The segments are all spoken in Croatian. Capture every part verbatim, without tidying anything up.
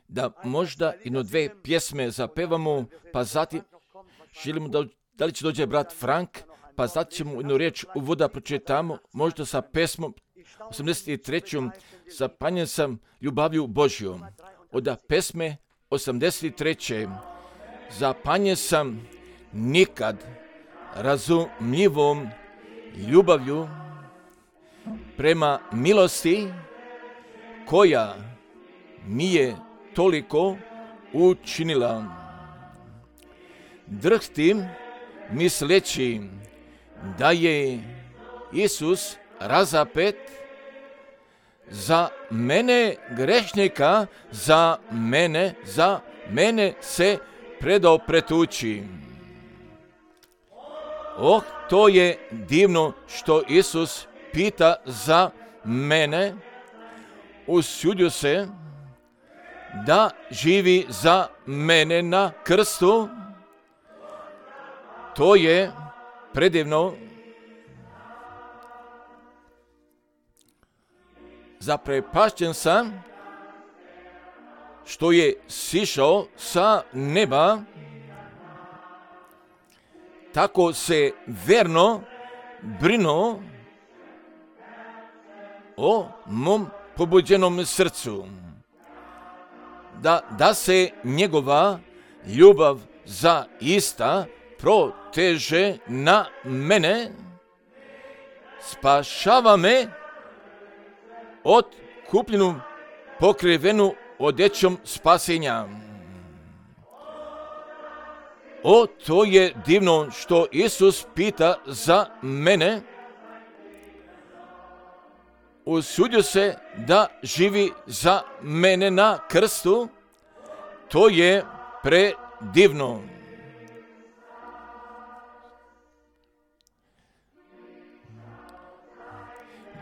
da možda jedno dve pjesme zapevamo, pa zatim želimo da, da li će dođe brat Frank, pa zatim ćemo jednu riječ uvoda pročitamo, možda sa pesmom osamdeset trećom Zapanjen sam ljubavlju Božjom. Od pesme osamdeset treće Zapanjen sam nikad razumljivom ljubavlju prema milosti koja mi je toliko učinila. Drhtim misleći da je Isus razapet za mene grešnika, za mene, za mene se predao pretući. Oh, to je divno što Isus pita za mene, usudio se da živi za mene na krstu. To je predivno. Zaprepašćen sam što je sišao sa neba, tako se verno brinuo o mom pobuđenom srcu, da, da se njegova ljubav zaista proteže na mene, spašava me od kupljenu pokrivenu odećom spasenja. O, to je divno što Isus pita za mene, usudio se da živi za mene na krstu. To je predivno.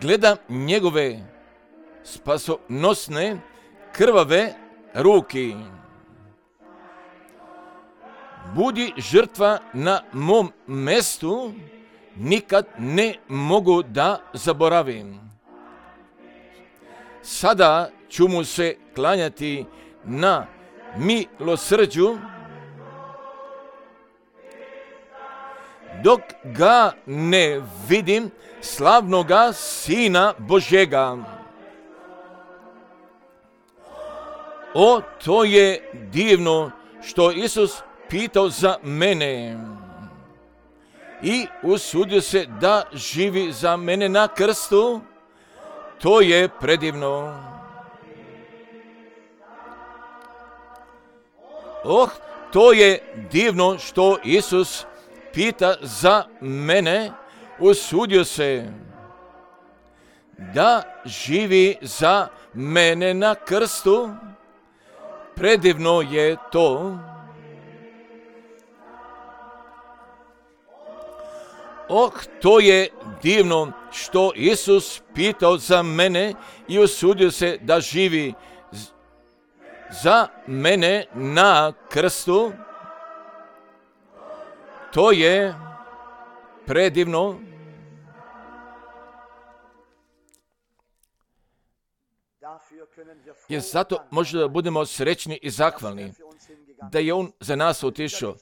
Gledam njegove spasonosne krvave ruke. Budi žrtva na mom mestu, nikad ne mogu da zaboravim. Sada ću mu se klanjati na milosrđu, dok ga ne vidim, slavnoga Sina Božjega. O, to je divno što Isus pitao za mene i usudio se da živi za mene na krstu. To je predivno. Oh, to je divno što Isus pita za mene, usudio se da živi za mene na krstu. Predivno je to. Oh, to je divno što Isus pitao za mene i usudio se da živi za mene na krstu. To je predivno. Jer zato možda da budemo srećni i zahvalni da je on za nas otišao.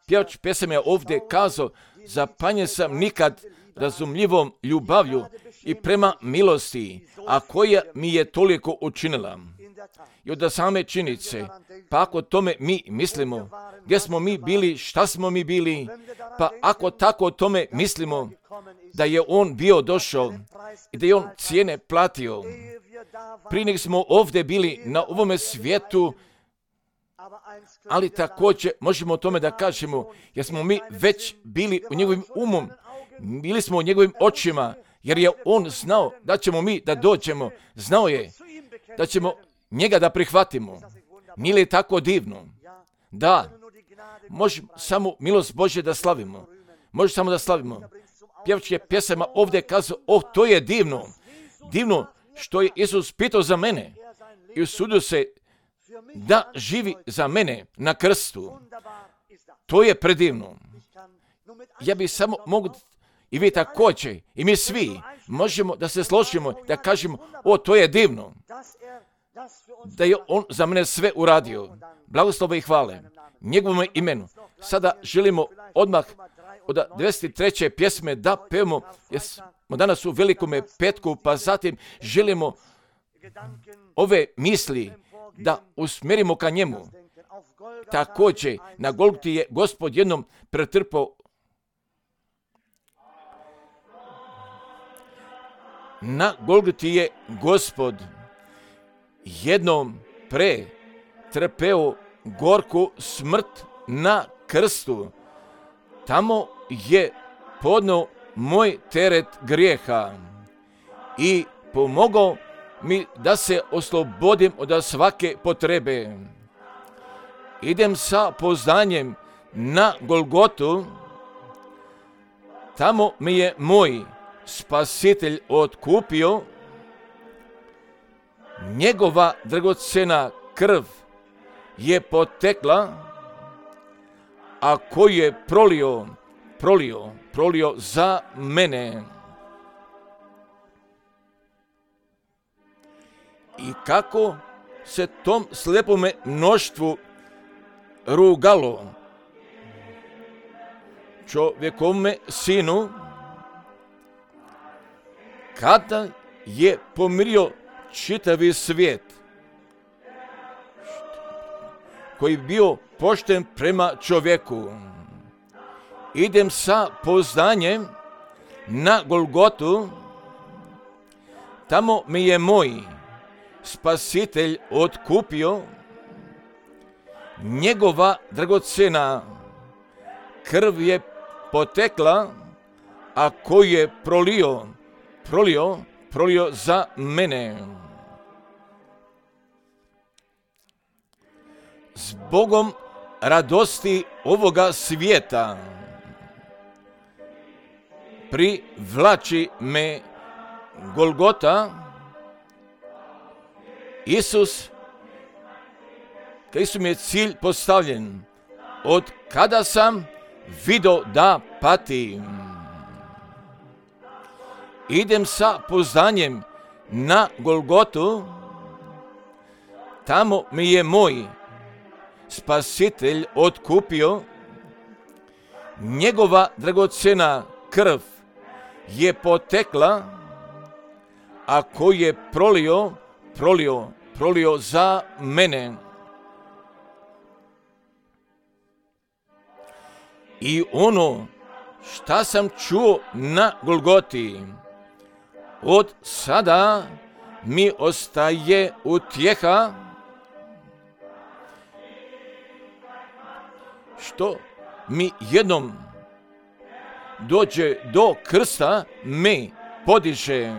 Pjevač pjesama je ovdje kazao, zapanjen sam nikad razumljivom ljubavlju i prema milosti, a koja mi je toliko učinila. I od same činjenice, pa ako tome mi mislimo, gdje smo mi bili, šta smo mi bili, pa ako tako o tome mislimo, da je on bio došao i da je on cijene platio, prije nego smo ovdje bili na ovome svijetu, ali također možemo o tome da kažemo, jer smo mi već bili u njegovim umom, bili smo u njegovim očima, jer je on znao da ćemo mi da dođemo, znao je da ćemo njega da prihvatimo. Nije li tako divno? Da, možemo samo milost Božje da slavimo. Može samo da slavimo. Pjevač je pjesama ovdje kazao, oh, to je divno. Divno što je Isus pitao za mene i usudio se da živi za mene na krstu. To je predivno. Ja bih samo mogu, i vi također, i mi svi, možemo da se složimo, da kažemo, o, to je divno. da je on za mene sve uradio. Blagoslove i hvale njegovom imenu. Sada želimo odmah od devedeset treće pjesme da pevamo, jer smo danas u velikome petku, pa zatim želimo ove misli da usmjerimo ka njemu. Također, na Golgoti je Gospod jednom pretrpao Na Golgoti je Gospod jednom pretrpeo gorku smrt na krstu. Tamo je podneo moj teret grijeha i pomogao mi da se oslobodim od svake potrebe. Idem sa poznanjem na Golgotu, tamo mi je moj Spasitelj otkupio, njegova dragocena krv je potekla, a koju je prolio, prolio, prolio za mene. I kako se tom slepome mnoštvu rugalo čovjekome sinu, kada je pomirio čitavi svijet, koji je bio pošten prema čovjeku. Idem sa poznanjem na Golgotu, tamo mi je moj Spasitelj otkupio, njegova dragocena krv je potekla, a koju je prolio, prolio, prolio za mene. Zbogom radosti ovoga svijeta privlači me Golgota. Isus, kaj su mi je cilj postavljen, od kada sam vidio da patim. Idem sa poznanjem na Golgotu, tamo mi je moj Spasitelj otkupio, njegova dragocena krv je potekla, a koju je prolio, prolio, prolio za mene. I ono šta sam čuo na Golgoti, od sada mi ostaje utjeha, što mi jednom dođe do krsta, me podiže.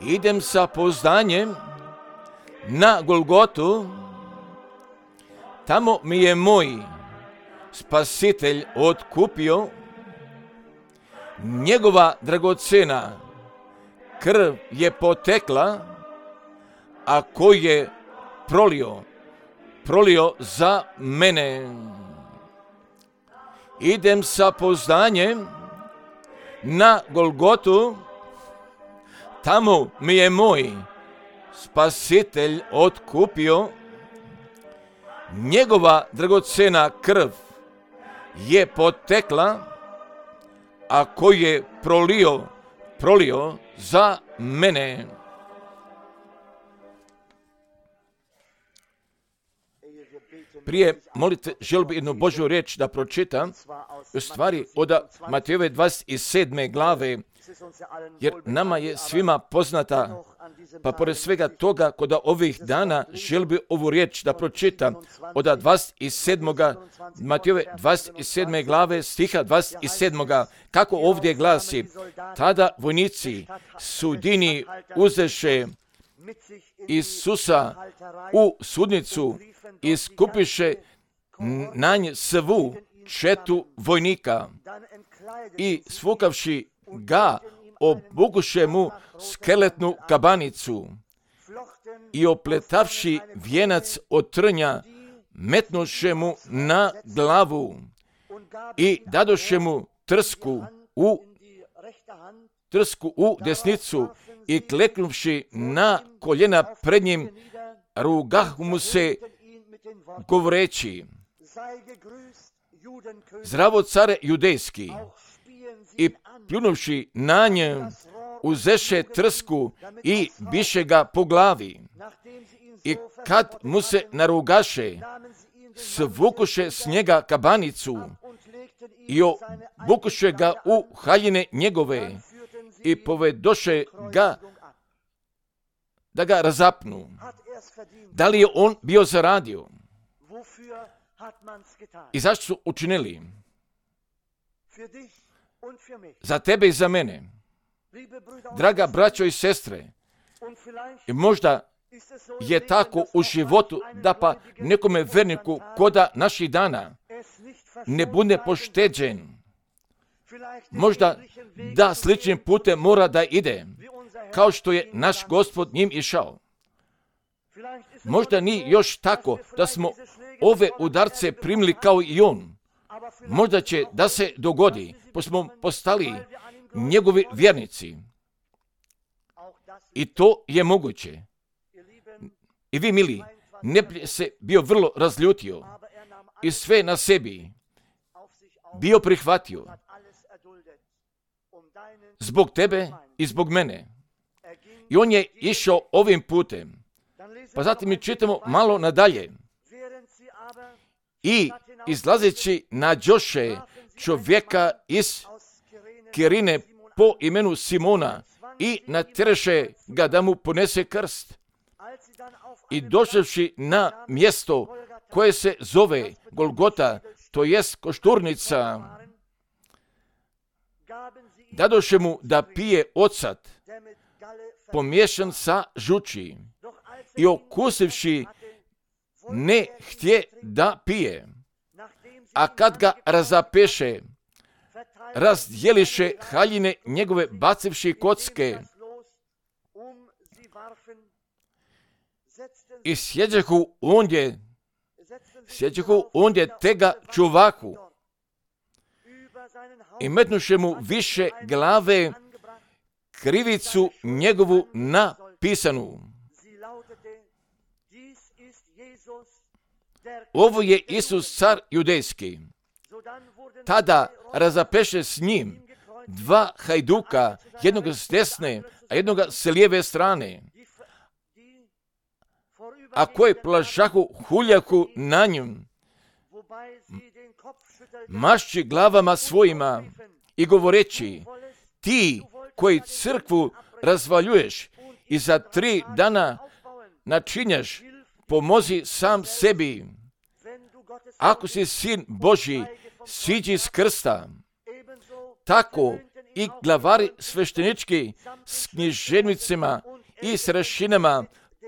Idem sa poznanjem na Golgotu, tamo mi je moj Spasitelj otkupio, njegova dragocena krv je potekla, a koju je prolio, prolio za mene. Idem sa poznanjem na Golgotu, tamo mi je moj Spasitelj otkupio, njegova dragocena krv je potekla, a koju je prolio, prolio za mene. Prije molite, želim jednu Božju riječ da pročitam, u stvari od Matejove dvadeset sedme glave, jer nama je svima poznata, pa pored svega toga, kod ovih dana želim bi ovu riječ da pročitam od dvadeset sedme. Matejove dvadeset sedme glave, stiha dvadeset sedam. Kako ovdje glasi: tada vojnici sudini uzeše Isusa u sudnicu i skupiše na nje svu četu vojnika i svukavši ga obukuše mu skeletnu kabanicu i opletavši vijenac od trnja metnuše mu na glavu i dadoše mu trsku u trsku u desnicu i kleknuvši na koljena pred njim, rugahu mu se govoreći: Zdravo care judejski, i pljunuvši na njem, uzeše trsku i biše ga po glavi. I kad mu se narugaše, svukuše s njega kabanicu i obukuše ga u haljine njegove i povedoše ga da ga razapnu. Da li je on bio zaradio? I zašto su učinili? Za tebe i za mene. Draga braćo i sestre, i možda je tako u životu da pa nekome verniku koda naših dana ne bude pošteđen. Možda da sličnim putem mora da ide, kao što je naš Gospod njim išao. Možda nije još tako da smo ove udarce primili kao i on. Možda će da se dogodi, pa smo postali njegovi vjernici. I to je moguće. I vi, mili, ne bi se bio vrlo razljutio i sve na sebi bio prihvatio zbog tebe i zbog mene. I on je išao ovim putem. Pa zatim mi čitamo malo nadalje. I izlazeći nađoše čovjeka iz Kirine po imenu Simona i natjereše ga da mu ponese krst. I došavši na mjesto koje se zove Golgota, to jest košturnica, dadoše mu da pije ocat, pomiješan sa žuči, i okusivši ne htje da pije. A kad ga razapeše, razdjeliše haljine njegove bacivši kocke i sjeđehu ondje, sjeđehu ondje tega čuvaku i metnuše mu više glave krivicu njegovu napisanu. Ovo je Isus car judejski. Tada razapeše s njim dva hajduka, jednoga s desne, a jednoga s lijeve strane, a koje plašahu huljaku na njim, mašći glavama svojima i govoreći: ti koji crkvu razvaljuješ i za tri dana načinjaš, pomozi sam sebi. Ako si sin Božji, siđi s krsta. Tako i glavari sveštenički s književnicima i s rašinama,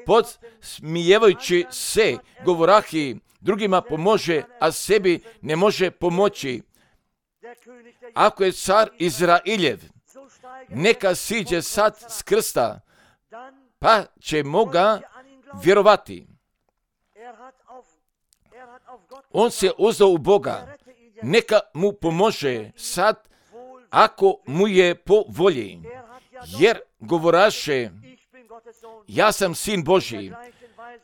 podsmijevajući se, govorahi: drugima pomože, a sebi ne može pomoći. Ako je car Izrailjev, neka siđe sad s krsta, pa ćemo ga vjerovati. On se uzeo u Boga, neka mu pomože sad, ako mu je po volji, jer govoraše: ja sam sin Božji.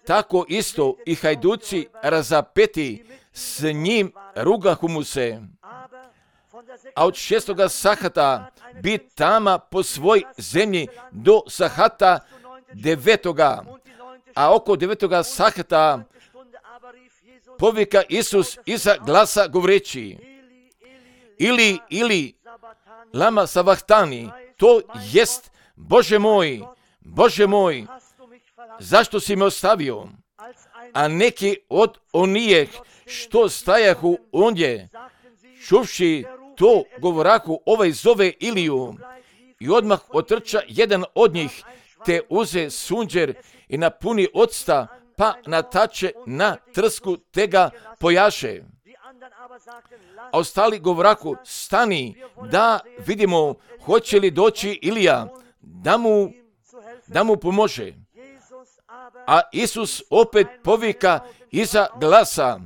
Tako isto i hajduci razapeti s njim rugahu mu se, a od šestoga sahata bi tama po svoj zemlji do sahata devetoga, a oko devetoga sahata povika Isus iza glasa govoreći: ili, ili, lama savahtani, to jest: Bože moj, Bože moj, zašto si me ostavio? A neki od onijeh što stajahu ondje, čuvši to, govorahu: ovaj zove Iliju. I odmah otrča jedan od njih, te uze sunđer i napuni octa, pa natače na trsku, te ga pojaše. A ostali govorahu: stani, da vidimo hoće li doći Ilija, da mu, da mu pomože. A Isus opet povika iza glasa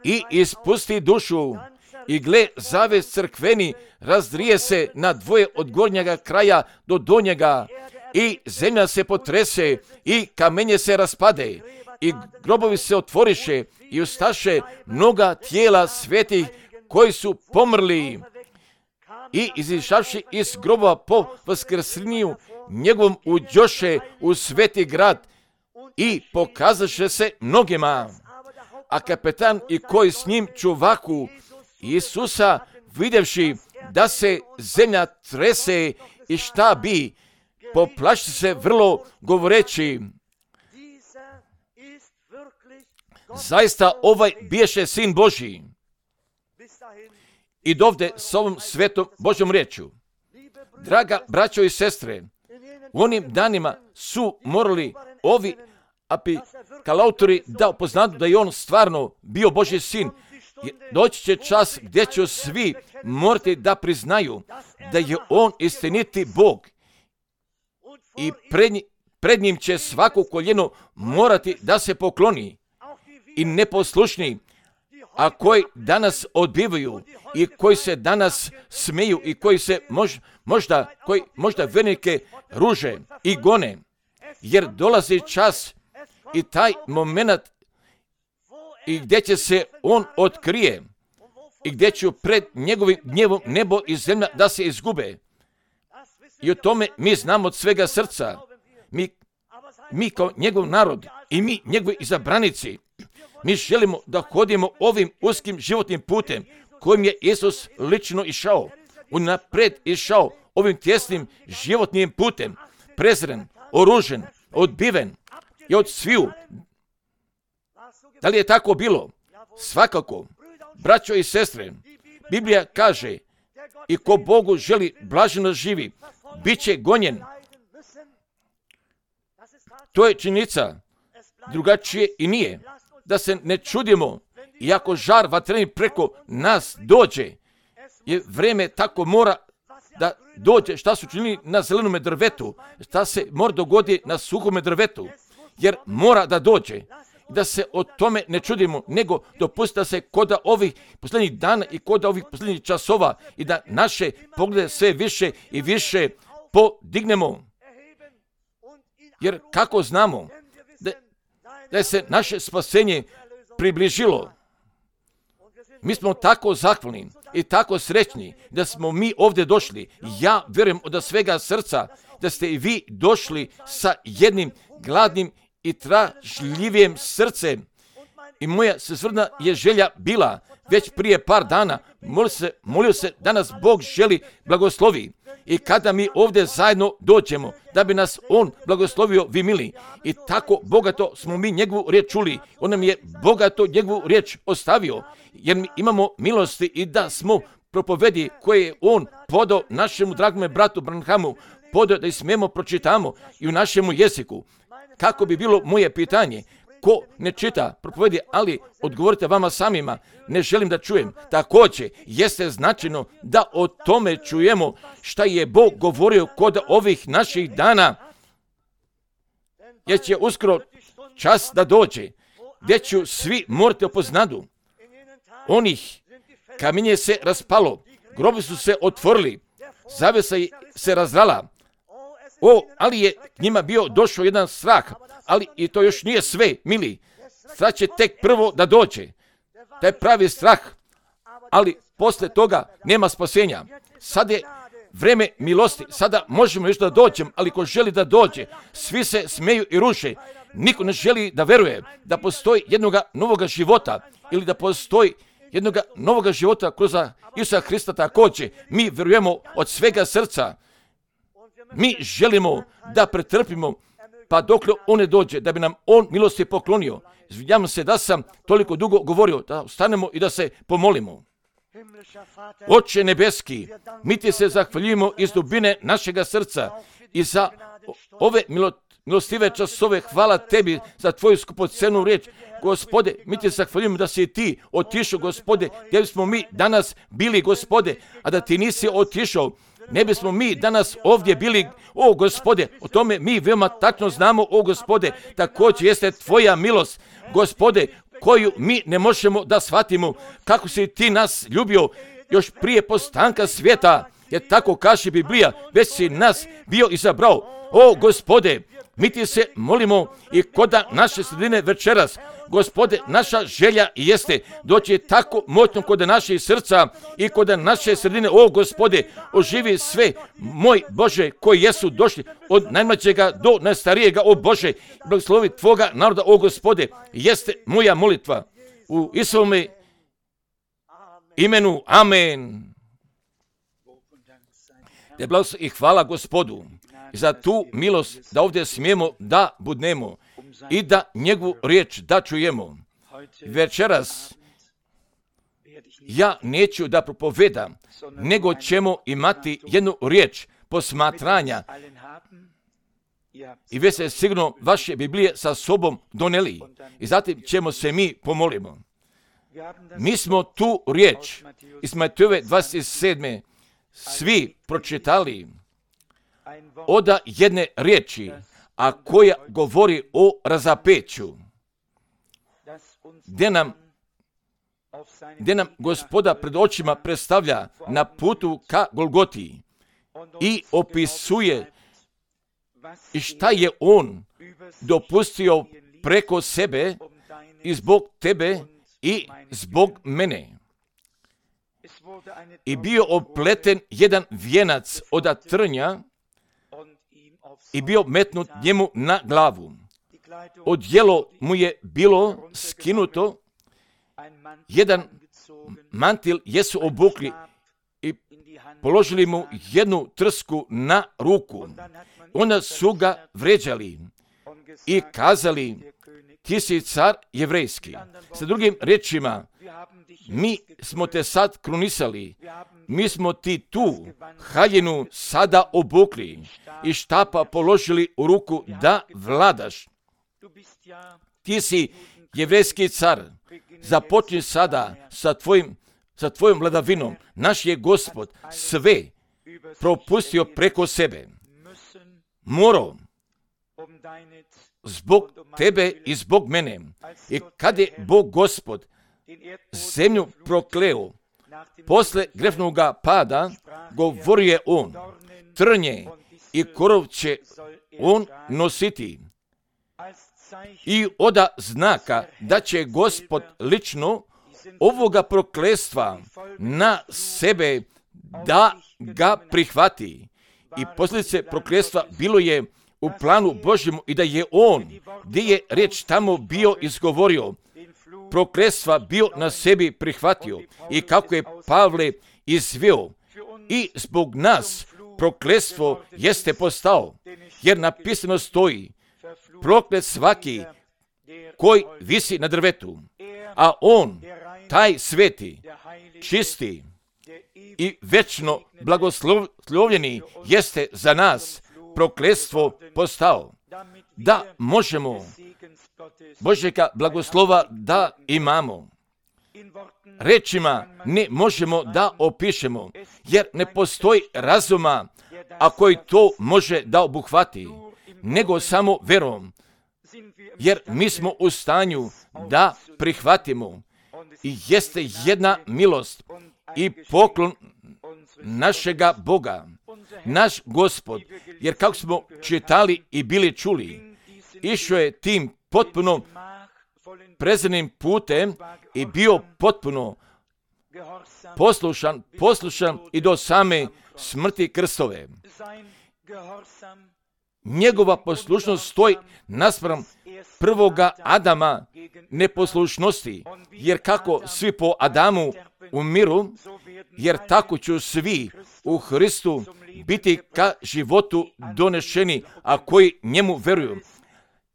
i ispusti dušu I gle, zaves crkveni razdrije se na dvoje od gornjega kraja do donjega i zemlja se potrese i kamenje se raspade i grobovi se otvoriše i ustaše mnoga tijela svetih koji su pomrli i izišavši iz grobova po vaskrsenju njegovom uđoše u sveti grad i pokazaše se mnogima. A kapetan i koji s njim čuvaku Isusa, vidjevši da se zemlja trese i šta bi, poplaši se vrlo govoreći: zaista ovaj biješe Sin Božji. I dovde s ovom svetom Božjom riječju. Draga braćo i sestre, u onim danima su morali ovi apokalautori da upoznadu da je on stvarno bio Božji sin. Doći će čas gdje će svi morati da priznaju da je on istiniti Bog i pred, pred njim će svako koljeno morati da se pokloni. I neposlušni, a koji danas odbivaju i koji se danas smiju i koji se mož, možda, koji možda vernike ruže i gone, jer dolazi čas i taj moment i gdje će se on otkrije i gdje će pred njegovim gnjevom nebo i zemlja da se izgube. I o tome mi znamo od svega srca. Mi, mi kao njegov narod i mi njegovi izabranici, mi želimo da hodimo ovim uskim životnim putem kojim je Isus lično išao. On napred išao ovim tjesnim životnim putem, prezren, oružen, odbiven i od sviju. Da li je tako bilo? Svakako. Braćo i sestre, Biblija kaže: i ko Bogu želi blaženo živi, bit će gonjen. To je činjenica. Drugačije i nije. Da se ne čudimo, iako žar vatreni preko nas dođe, je vrijeme tako mora da dođe. Šta su činili na zelenome drvetu? Šta se mora dogodi na suhome drvetu? Jer mora da dođe. Da se o tome ne čudimo, nego dopustite da se koda ovih posljednjih dana i koda ovih posljednjih časova i da naše poglede sve više i više podignemo. Jer kako znamo da, da je se naše spasenje približilo? Mi smo tako zahvalni i tako srećni da smo mi ovdje došli. Ja vjerujem od svega srca da ste i vi došli sa jednim gladnim i tražljivijim srcem. I moja srna je želja bila već prije par dana, molio se, molio se da nas Bog želi blagoslovi. I kada mi ovdje zajedno dođemo, da bi nas On blagoslovio, vi mili. I tako bogato smo mi njegovu riječ čuli. On nam je bogato njegovu riječ ostavio. Jer mi imamo milosti i da smo propovedi koje je On podao našemu dragome bratu Branhamu, podao da ih smijemo pročitamo i u našemu jeziku. Kako bi bilo moje pitanje? Ko ne čita propovedi, ali odgovorite vama samima, ne želim da čujem. Također, jeste značajno da o tome čujemo šta je Bog govorio kod ovih naših dana. Jer će uskoro čas da dođe, gdje ću svi morati opoznadu. Onih kamenje se raspalo, grobi su se otvorili, zavesa se razrala. O, ali je njima bio došao jedan strah, ali i to još nije sve, mili. Strah će tek prvo da dođe. Taj pravi strah, ali posle toga nema spasenja. Sad je vreme milosti, sada možemo još da dođem, ali ko želi da dođe, svi se smeju i ruše. Niko ne želi da veruje da postoji jednoga novoga života ili da postoji jednoga novoga života kroz Isusa Hrista također. Mi verujemo od svega srca. Mi želimo da pretrpimo pa dokle on ne dođe, da bi nam on milosti poklonio. Izvinjavam se da sam toliko dugo govorio, da ostanemo i da se pomolimo. Oče nebeski, mi ti se zahvaljujemo iz dubine našega srca i za ove milostive časove. Hvala tebi za tvoju skupocenu riječ. Gospode, mi ti zahvaljujemo da si ti otišao, Gospode, gdje bismo mi danas bili, Gospode, a da ti nisi otišao, ne bismo mi danas ovdje bili. O Gospode, o tome mi veoma tačno znamo, o Gospode, također jeste tvoja milost, Gospode, koju mi ne možemo da shvatimo, kako si ti nas ljubio još prije postanka svijeta, jer tako kaže Biblija, već si nas bio izabrao. O Gospode, mi ti se molimo i koda naše sredine večeras, Gospode, naša želja jeste doći tako moćno kod naših srca i kod naše sredine. O Gospode, oživi sve, moj Bože, koji jesu došli od najmlađega do najstarijega. O Bože, blagoslovi Tvoga naroda, o Gospode, jeste moja molitva. U Isovome imenu, amen. Te blagoslov i hvala Gospodu za tu milost da ovdje smijemo da budnemo i da njegovu riječ da čujemo. Večeras ja neću da propovedam, nego ćemo imati jednu riječ posmatranja i već se sigurno vaše Biblije sa sobom doneli i zatim ćemo se mi pomolimo. Mi smo tu riječ iz Matejove dvadeset sedme svi pročitali oda jedne riječi, a koja govori o razapeću, gdje nam, gdje nam Gospoda pred očima predstavlja na putu ka Golgoti i opisuje i šta je on dopustio preko sebe i zbog tebe i zbog mene. I bio opleten jedan vijenac od trnja i bio metnut njemu na glavu. Odjelo mu je bilo skinuto, jedan mantil jesu obukli i položili mu jednu trsku na ruku. Onda su ga vređali i kazali, ti si car jevrejski. Sa drugim riječima, mi smo te sad krunisali, mi smo ti tu haljinu sada obukli i štapa položili u ruku da vladaš. Ti si jevrejski car, započni sada sa, tvojim, sa tvojom vladavinom. Naš je Gospod sve propustio preko sebe. Morao zbog tebe i zbog mene. I kad je Bog Gospod zemlju prokleo, posle grefnoga pada, govorio je on, trnje i korov će on nositi. I oda znaka da će Gospod lično ovoga prokletstva na sebe da ga prihvati. I posljedice prokletstva bilo je u planu Božjemu i da je on, gdje je riječ tamo bio izgovorio, prokletstva bio na sebi prihvatio i kako je Pavle izveo. I zbog nas prokletstvo jeste postao, jer napisano stoji, proklet svaki koji visi na drvetu, a on, taj sveti, čisti i večno blagoslovljeni jeste za nas prokletstvo postao, da možemo Božjega blagoslova da imamo. Rečima ne možemo da opišemo, jer ne postoji razuma, a koji to može da obuhvati, nego samo verom, jer mi smo u stanju da prihvatimo i jeste jedna milost i poklon našega Boga, naš Gospod, jer kako smo čitali i bili čuli, išao je tim potpuno prezrenim putem i bio potpuno poslušan, poslušan i do same smrti krstove. Njegova poslušnost stoji naspram prvoga Adama neposlušnosti, jer kako svi po Adamu umiru, jer tako ću svi u Hristu biti ka životu donešeni, a koji njemu veruju.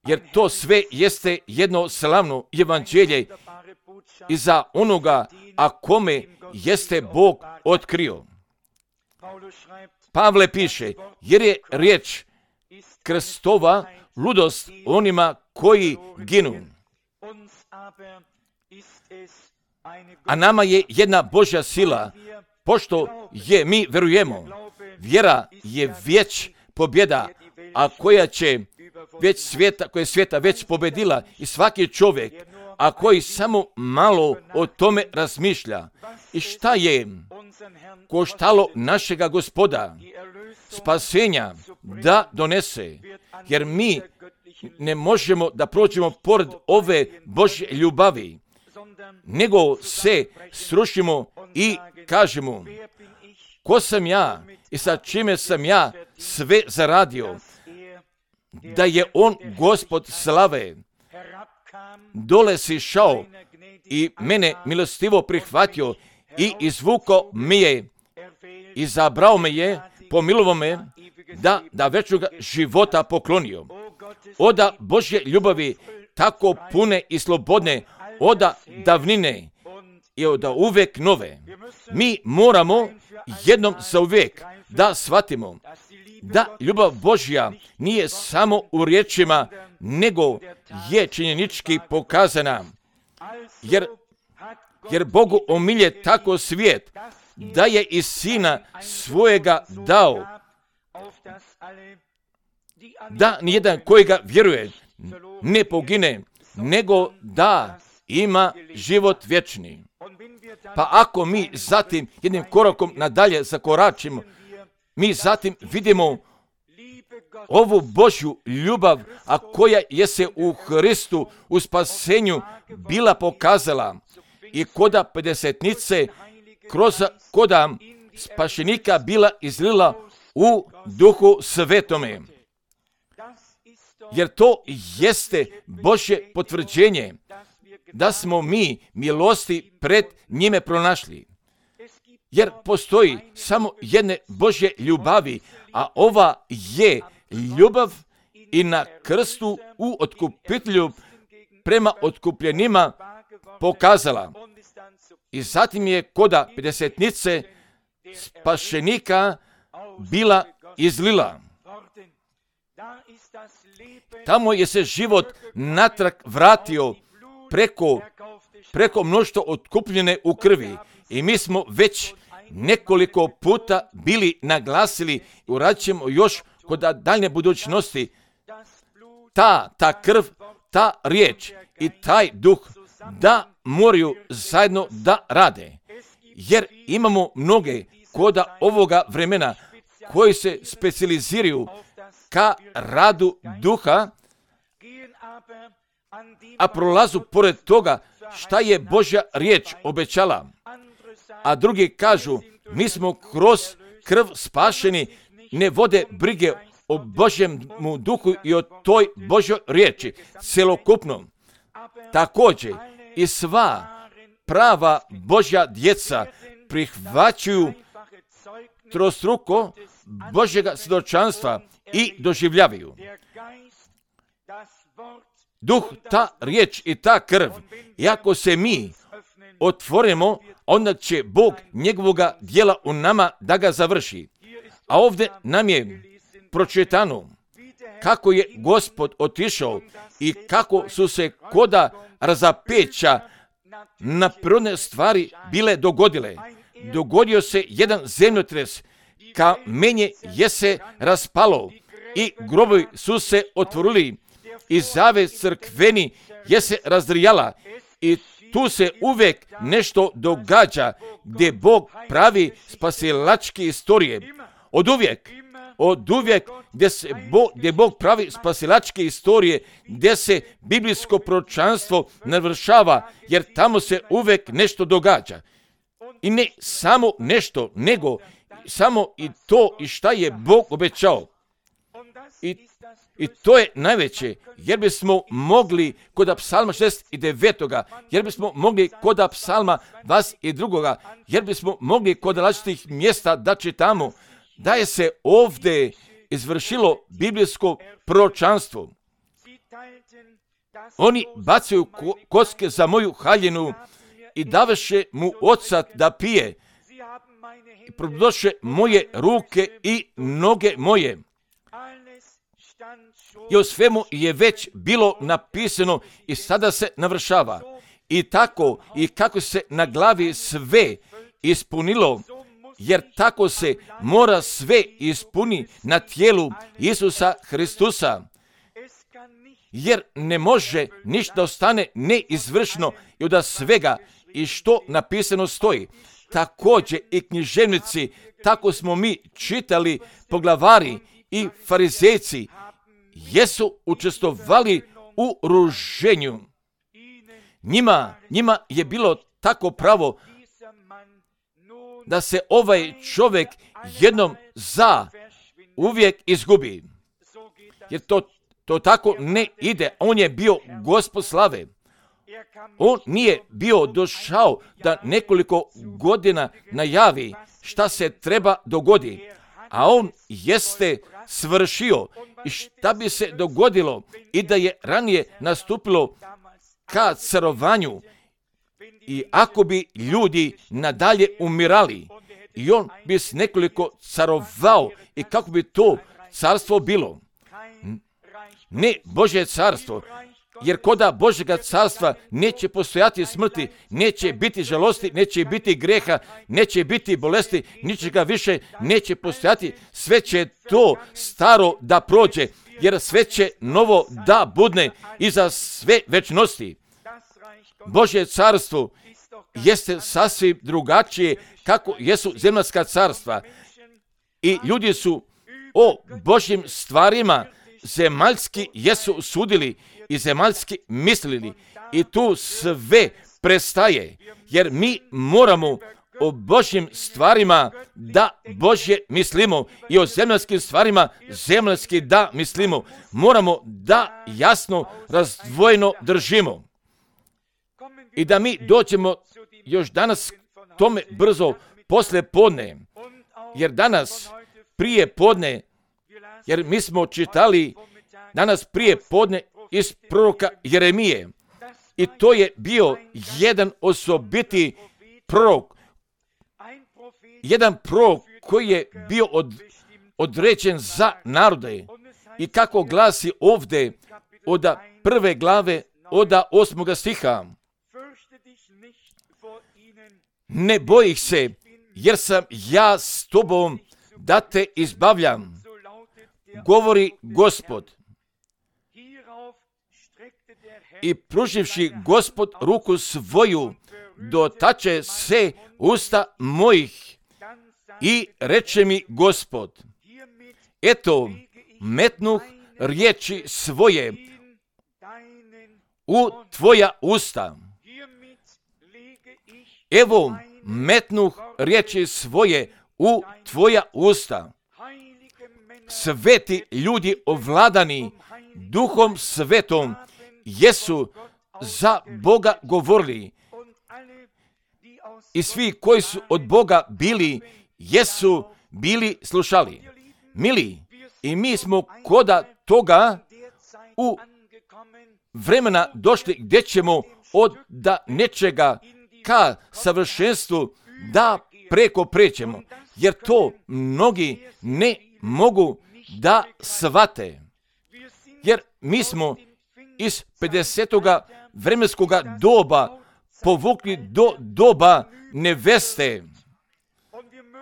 Jer to sve jeste jedno slavno evanđelje i za onoga, a kome jeste Bog otkrio. Pavle piše, jer je riječ krstova ludost onima koji ginu. A nama je jedna Božja sila, pošto je mi verujemo. Vjera je već pobjeda, a koja će već svijeta, koja je svijeta već pobedila i svaki čovjek, a koji samo malo o tome razmišlja. I šta je koštalo našega Gospoda spasenja da donese, jer mi ne možemo da prođemo pored ove Božje ljubavi, nego se srušimo i kažemo, ko sam ja i sa čime sam ja sve zaradio, da je on Gospod slave dole sišao i mene milostivo prihvatio i izvukao mi je, izabrao me je, pomilovao me da, da večnoga života poklonio. Oda Božje ljubavi tako pune i slobodne, oda davnine i oda uvek nove. Mi moramo jednom za uvijek da shvatimo da ljubav Božja nije samo u riječima, nego je činjenički pokazana. Jer, jer Bogu omilje tako svijet, da je i Sina svojega dao, da nijedan kojega vjeruje ne pogine, nego da ima život vječni. Pa ako mi zatim jednim korakom nadalje zakoračimo, mi zatim vidimo ovu Božju ljubav, a koja je se u Hristu u spasenju bila pokazala i koda pedesetnice kroz koda spašenika bila izlila u Duhu Svetome. Jer to jeste Božje potvrđenje da smo mi milosti pred njime pronašli. Jer postoji samo jedne Božje ljubavi, a ova je ljubav i na krstu u otkupitelju prema otkupljenima pokazala. I zatim je koda pedesetnice spašenika bila izlila. Tamo je se život natrag vratio preko, preko mnoštva otkupljene u krvi. I mi smo već nekoliko puta bili naglasili i uradit ćemo još kod daljne budućnosti. Ta, ta krv, ta riječ i taj duh da moraju zajedno da rade. Jer imamo mnoge koda ovoga vremena koji se specijaliziraju ka radu duha, a prolazu pored toga šta je Božja riječ obećala. A drugi kažu, mi smo kroz krv spašeni, ne vode brige o Božjem duhu i o toj Božjoj riječi, celokupno. Također i sva prava Božja djeca prihvaćaju trostruko Božjega svjedočanstva i doživljavaju. Duh, ta riječ i ta krv, i ako se mi otvorimo, onda će Bog njegovoga djela u nama da ga završi. A ovdje nam je pročitano kako je Gospod otišao i kako su se koda razapeća na prirodne stvari bile dogodile. Dogodio se jedan zemljotres, kamenje je se raspalo i grobovi su se otvorili i zavjes crkveni je se razdrijala i tu se uvijek nešto događa gdje Bog pravi spasilačke istorije. Od uvijek, od uvijek gdje, se Bog, gdje Bog pravi spasilačke istorije, gdje se biblijsko proročanstvo navršava, jer tamo se uvijek nešto događa. I ne samo nešto, nego samo i to i šta je Bog obećao. I, i to je najveće, jer bismo mogli kod psalma šezdeset devet, jer bismo mogli kod psalma dvadeset dva, jer bismo mogli kod različitih mjesta da čitamo da je se ovdje izvršilo biblijsko proročanstvo. Oni bacaju ko- koske za moju haljinu i daveše mu ocat da pije i prodoše moje ruke i noge moje. I o svemu je već bilo napisano i sada se navršava. I tako i kako se na glavi sve ispunilo, jer tako se mora sve ispuni na tijelu Isusa Hristusa. jer ne može ništa ostane neizvršno i od svega i što napisano stoji. Također i književnici, tako smo mi čitali, poglavari i farizejci, jesu učestvovali u ruženju. Njima, njima je bilo tako pravo da se ovaj čovjek jednom za uvijek izgubi. Jer to, to tako ne ide. On je bio Gospod slave. On nije bio došao da nekoliko godina najavi šta se treba dogodi, a on jeste svršio i šta bi se dogodilo i da je ranije nastupilo ka carovanju i ako bi ljudi nadalje umirali i on bi s nekoliko carovao i kako bi to carstvo bilo. Ne Božje carstvo, jer koda Božjega carstva neće postojati smrti, neće biti žalosti, neće biti greha, neće biti bolesti, ničega više neće postojati, sve će to staro da prođe, jer sve će novo da budne i za sve večnosti. Božje carstvo jeste sasvim drugačije kako jesu zemaljska carstva i ljudi su o Božjim stvarima zemaljski jesu sudili i zemaljski mislili i tu sve prestaje, jer mi moramo o Božjim stvarima da Božje mislimo i o zemaljskim stvarima zemaljski da mislimo. Moramo da jasno razdvojeno držimo i da mi dođemo još danas tome brzo posle podne, jer danas prije podne, jer mi smo čitali danas prije podne iz proroka Jeremije i to je bio jedan osobiti prorok, jedan prorok koji je bio od, određen za narode i kako glasi ovdje od prve glave od osmoga stiha. Ne bojih se, jer sam ja s tobom da te izbavljam, govori Gospod. I pruživši Gospod ruku svoju, dotače se usta mojih i reče mi Gospod, eto, metnuh riječi svoje u tvoja usta. Evo, metnuh riječi svoje u tvoja usta. Sveti ljudi ovladani Duhom Svetom jesu za Boga govorili i svi koji su od Boga bili, jesu bili slušali. Mili, i mi smo koda toga u vremena došli gdje ćemo od da nečega ka savršenstvu da preko prećemo, jer to mnogi ne mogu da shvate. Jer mi smo iz pedesetoga vremenskoga doba povukli do doba neveste.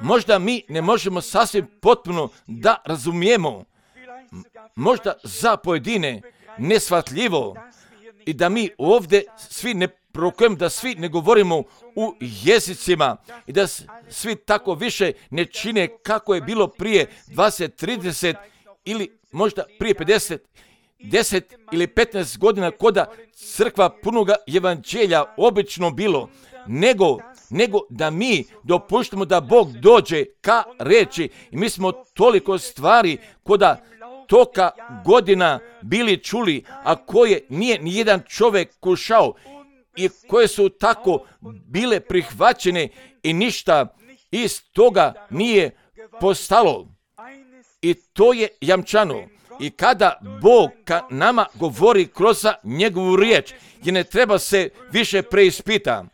Možda mi ne možemo sasvim potpuno da razumijemo, možda za pojedine neshvatljivo i da mi ovdje svi ne prorokujemo, da svi ne govorimo u jezicima i da svi tako više ne čine kako je bilo prije dvadeset, trideset ili možda prije pedeset, deset ili petnaest godina koda crkva punoga evanđelja obično bilo, nego, nego da mi dopuštamo da Bog dođe ka reči i mi smo toliko stvari koda toka godina bili čuli, a koje nije ni jedan čovjek kušao i koje su tako bile prihvaćene i ništa iz toga nije postalo. I to je jamčano. I kada Bog ka nama govori kroz njegovu riječ, jer ne treba se više preispita.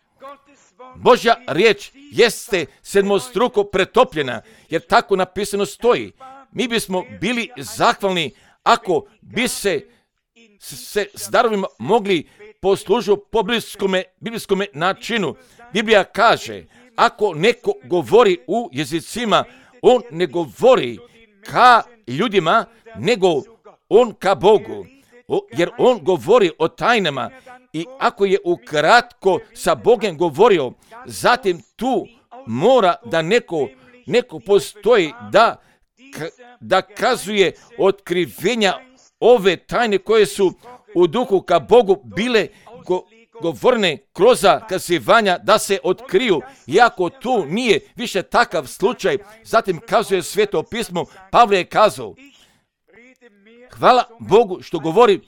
Božja riječ jeste sedmostruko pretopljena, jer tako napisano stoji. Mi bismo bili zahvalni ako bi se, se s darovima mogli poslužiti po biblijskome, biblijskome načinu. Biblija kaže, ako neko govori u jezicima, on ne govori ka ljudima, nego on ka Bogu. o, jer on govori o tajnama i ako je ukratko sa Bogom govorio, zatim tu mora da neko, neko postoji da, da kazuje otkrivenja ove tajne koje su u duhu ka Bogu bile go, govorne kroz kazivanja da se otkriju. Iako tu nije više takav slučaj, zatim kazuje Sveto pismo, Pavle je kazao, hvala Bogu što govori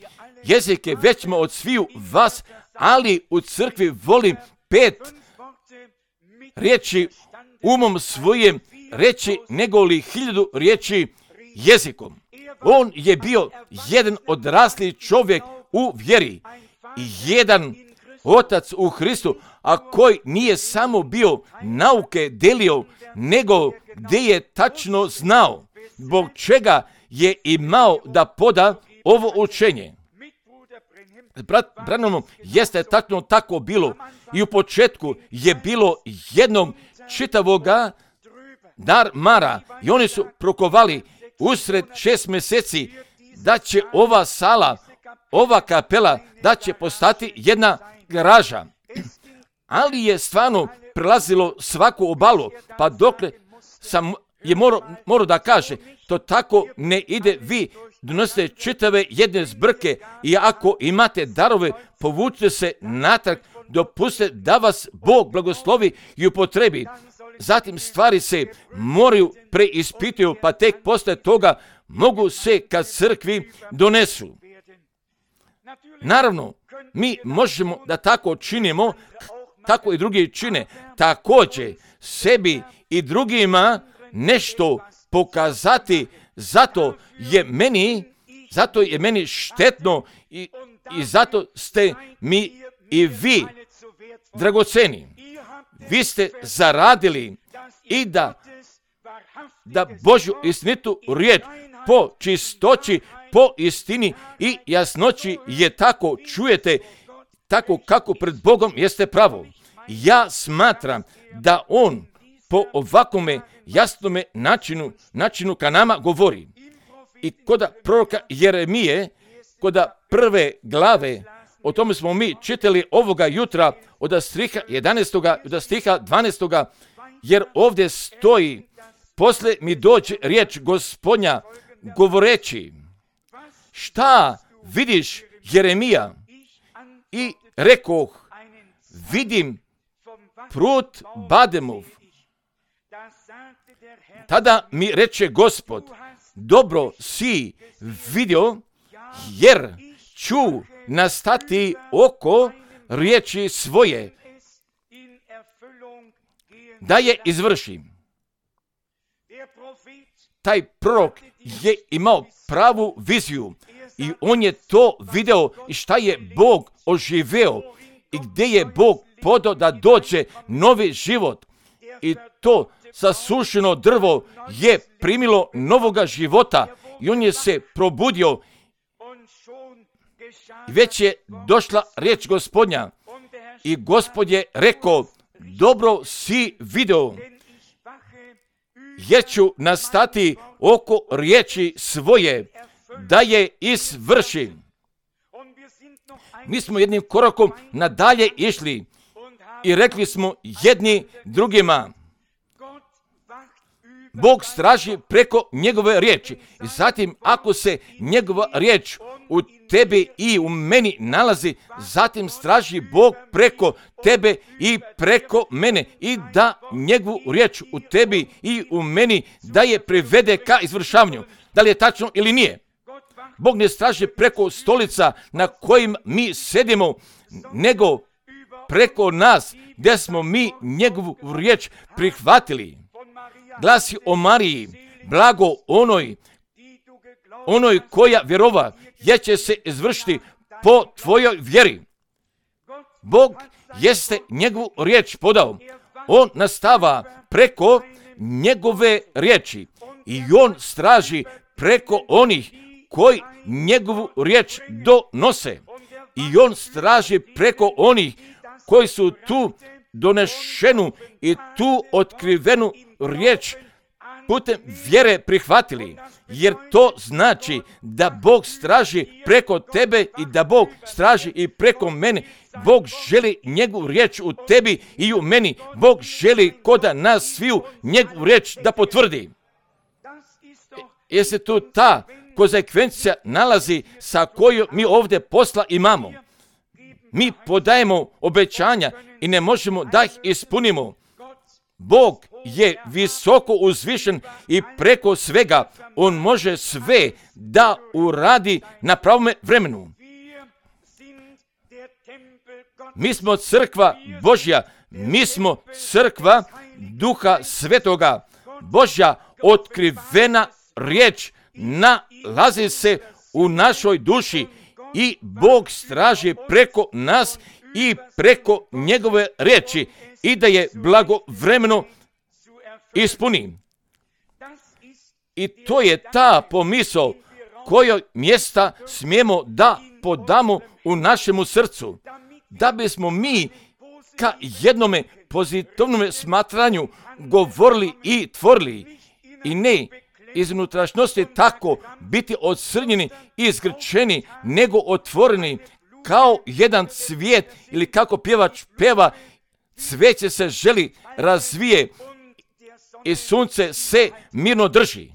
jezike većma od sviju vas, ali u crkvi volim pet riječi umom svojim reći nego li hiljadu riječi jezikom. On je bio jedan odrasli čovjek u vjeri i jedan otac u Hristu, a koji nije samo bio nauke delio, nego gdje je tačno znao zbog čega je imao da poda ovo učenje. Brat Branhamom jeste tačno tako bilo i u početku je bilo jednog čitavoga darmara i oni su prokovali usred šest mjeseci da će ova sala, ova kapela, da će postati jedna garaža. Ali je stvarno prelazilo svaku obalu, pa dokle sam je morao, morao da kaže, to tako ne ide, vi donosite čitave jedne zbrke i ako imate darove, povučite se natrag, dopustite da vas Bog blagoslovi i upotrebi. Zatim stvari se moraju preispituju, pa tek posle toga mogu se kad crkvi donesu. Naravno, mi možemo da tako činimo, tako i drugi čine. Također, sebi i drugima nešto pokazati, zato je meni, zato je meni štetno i, i zato ste mi i vi dragoceni. Vi ste zaradili i da, da Božju istinitu riječ po čistoći, po istini i jasnoći je tako čujete, tako kako pred Bogom jeste pravo. Ja smatram da On po ovakvome jasnome načinu, načinu ka nama govori. I kod proroka Jeremije, kod prve glave, o tome smo mi čitali ovoga jutra od stiha jedanaestog do stiha dvanaestog, jer ovdje stoji, posle mi dođe riječ Gospodnja govoreći, šta vidiš Jeremija? I rekoh, vidim prut Bademov. Tada mi reče Gospod, dobro si vidio, jer ću nastati oko riječi svoje, da je izvršim. Taj prorok je imao pravu viziju i on je to video i šta je Bog oživeo i gdje je Bog podao da dođe novi život i to sasušeno drvo je primilo novoga života i on je se probudio i već je došla riječ Gospodnja i Gospod je rekao, dobro si video, jer ću nastati oko riječi svoje, da je izvršim. Mi smo jednim korakom nadalje išli i rekli smo jedni drugima, Bog straži preko njegove riječi. I zatim ako se njegova riječ u tebi i u meni nalazi, zatim straži Bog preko tebe i preko mene i da njegovu riječ u tebi i u meni da je privede ka izvršavanju. Da li je tačno ili nije? Bog ne straži preko stolica na kojim mi sedimo, nego preko nas gdje smo mi njegovu riječ prihvatili. Glasi o Mariji, blago onoj, onoj koja vjerova, jer će se izvršiti po tvojoj vjeri. Bog jeste njegovu riječ podao. On nastava preko njegove riječi i on straži preko onih koji njegovu riječ donose. I on straži preko onih koji su tu donešenu i tu otkrivenu riječ putem vjere prihvatili, jer to znači da Bog straži preko tebe i da Bog straži i preko mene. Bog želi njegovu riječ u tebi i u meni. Bog želi koda nas sviju njegovu riječ da potvrdi. Jer se tu ta konsekvencija nalazi sa kojom mi ovdje posla imamo. Mi podajemo obećanja i ne možemo da ih ispunimo. Bog je visoko uzvišen i preko svega on može sve da uradi na pravome vremenu. Mi smo crkva Božja, mi smo crkva Duha Svetoga. Božja otkrivena riječ nalazi se u našoj duši i Bog straži preko nas i preko njegove riječi i da je blagovremeno ispuni. I to je ta pomisao kojoj mjesta smijemo da podamo u našemu srcu, da bismo mi ka jednome pozitivnom smatranju govorili i tvorili i ne iz unutrašnjosti tako biti odsrnjeni i zgrčeni, nego otvoreni kao jedan cvijet ili kako pjevač peva, cvijeće se želi razvije i sunce se mirno drži.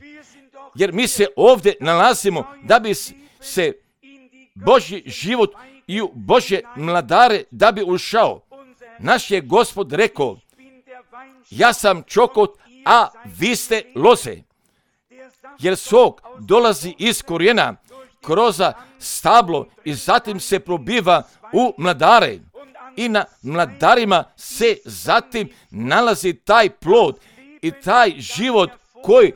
Jer mi se ovdje nalazimo da bi se Božji život i u Božje mladare da bi ušao. Naš je Gospod rekao, ja sam čokot, a vi ste loze. Jer sok dolazi iz korijena, kroz stablo i zatim se probiva u mladare. I na mladarima se zatim nalazi taj plod i taj život koji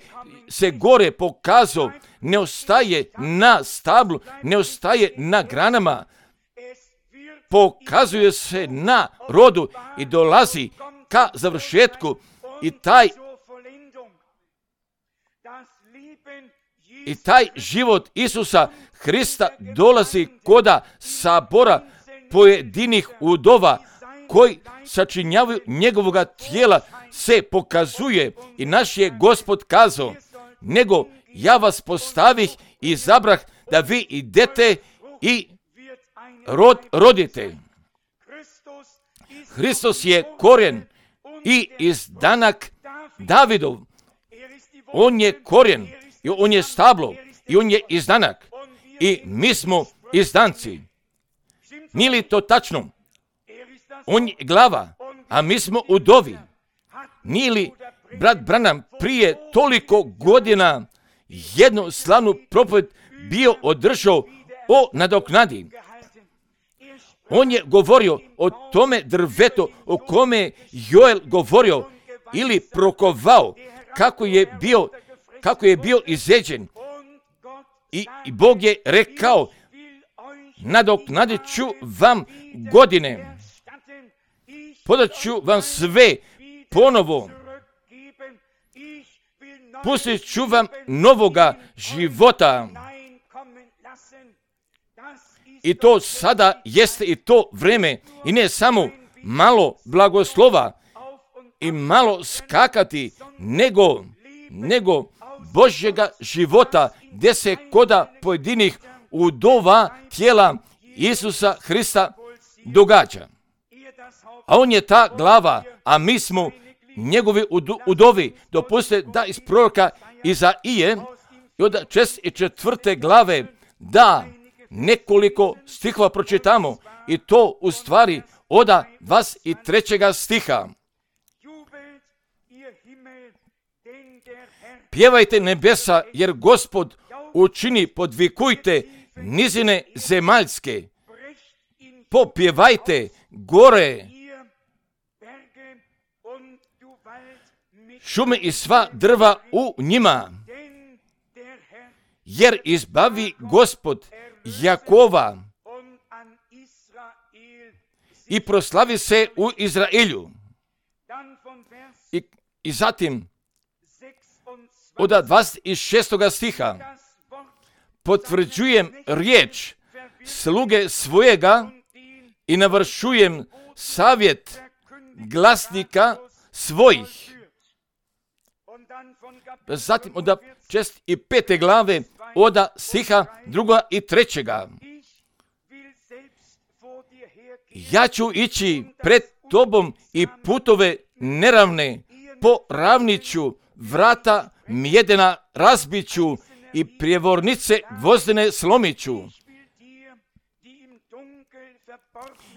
se gore pokazao, ne ostaje na stablu, ne ostaje na granama, pokazuje se na rodu i dolazi ka završetku i taj i taj život Isusa Hrista dolazi koda sabora pojedinih udova koji sačinjavaju njegovoga tijela se pokazuje i naš je Gospod kazao, nego ja vas postavih i izabrah da vi idete i rod rodite. Hristos je korijen i izdanak Davidov. On je korijen i on je stablo i on je izdanak i mi smo izdanci. Nije li to tačno? On je glava, a mi smo udovi. Nije li brat Branham prije toliko godina jednu slavnu propoved bio održao o nadoknadi? On je govorio o tome drvetu o kome je Joel govorio ili prokovao kako je bio, kako je bio izjeđen. I, I Bog je rekao, nadoknadit ću vam godine, podat ću vam sve ponovo, pustit ću vam novoga života. I to sada jeste i to vreme i ne samo malo blagoslova i malo skakati, nego, nego Božjega života gdje se koda pojedinih udova tijela Isusa Hrista događa. A on je ta glava, a mi smo njegovi udovi. Dopustite da iz proroka Izaije i od šezdeset četvrte glave da nekoliko stihova pročitamo i to u stvari od dvadeset trećega stiha. Pjevajte nebesa, jer Gospod učini, podvikujte nizine zemaljske. Popjevajte gore, šume i sva drva u njima. Jer izbavi Gospod Jakova i proslavi se u Izraelju. I, i zatim od dvadeset šestog stiha potvrđujem riječ sluge svojega i navršujem savjet glasnika svojih. Zatim od čest i pete glave, od stiha druga i trećega. Ja ću ići pred tobom i putove neravne, po ravniću, vrata mjedena razbiću i prijevornice gvozdene slomiću.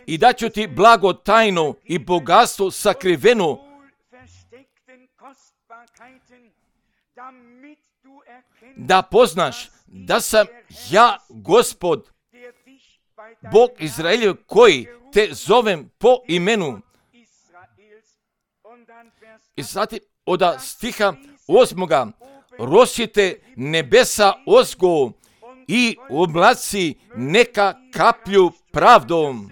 I daću ti blago tajno i bogatstvo sakriveno, da poznaš da sam ja Gospod, Bog Izraeljev, koji te zovem po imenu. I zatim od stiha osmoga, rosjete nebesa ozgo i oblaci neka kaplju pravdom.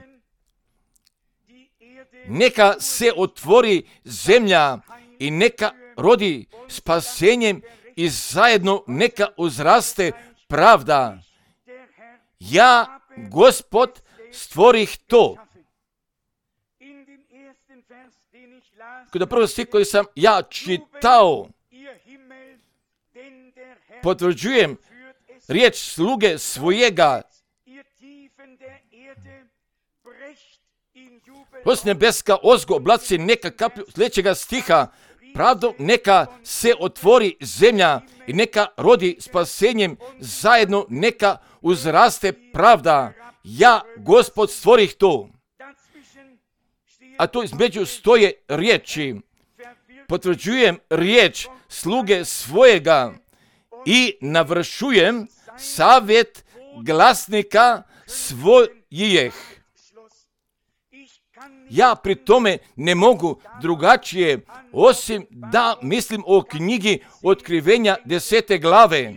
Neka se otvori zemlja i neka rodi spasenjem i zajedno neka uzraste pravda. Ja, Gospod, stvorih to. Kod prvo stih koji sam ja čitao, potvrđujem riječ sluge svojega. Os nebeska ozgo oblaci neka kaplju, sljedećega stiha, pravdom neka se otvori zemlja i neka rodi spasenjem, zajedno neka uzraste pravda. Ja, Gospod, stvorih to. A tu između stoje riječi. Potvrđujem riječ sluge svojega i navršujem savjet glasnika svojih. Ja pri tome ne mogu drugačije, osim da mislim o knjigi Otkrivenja desete glave,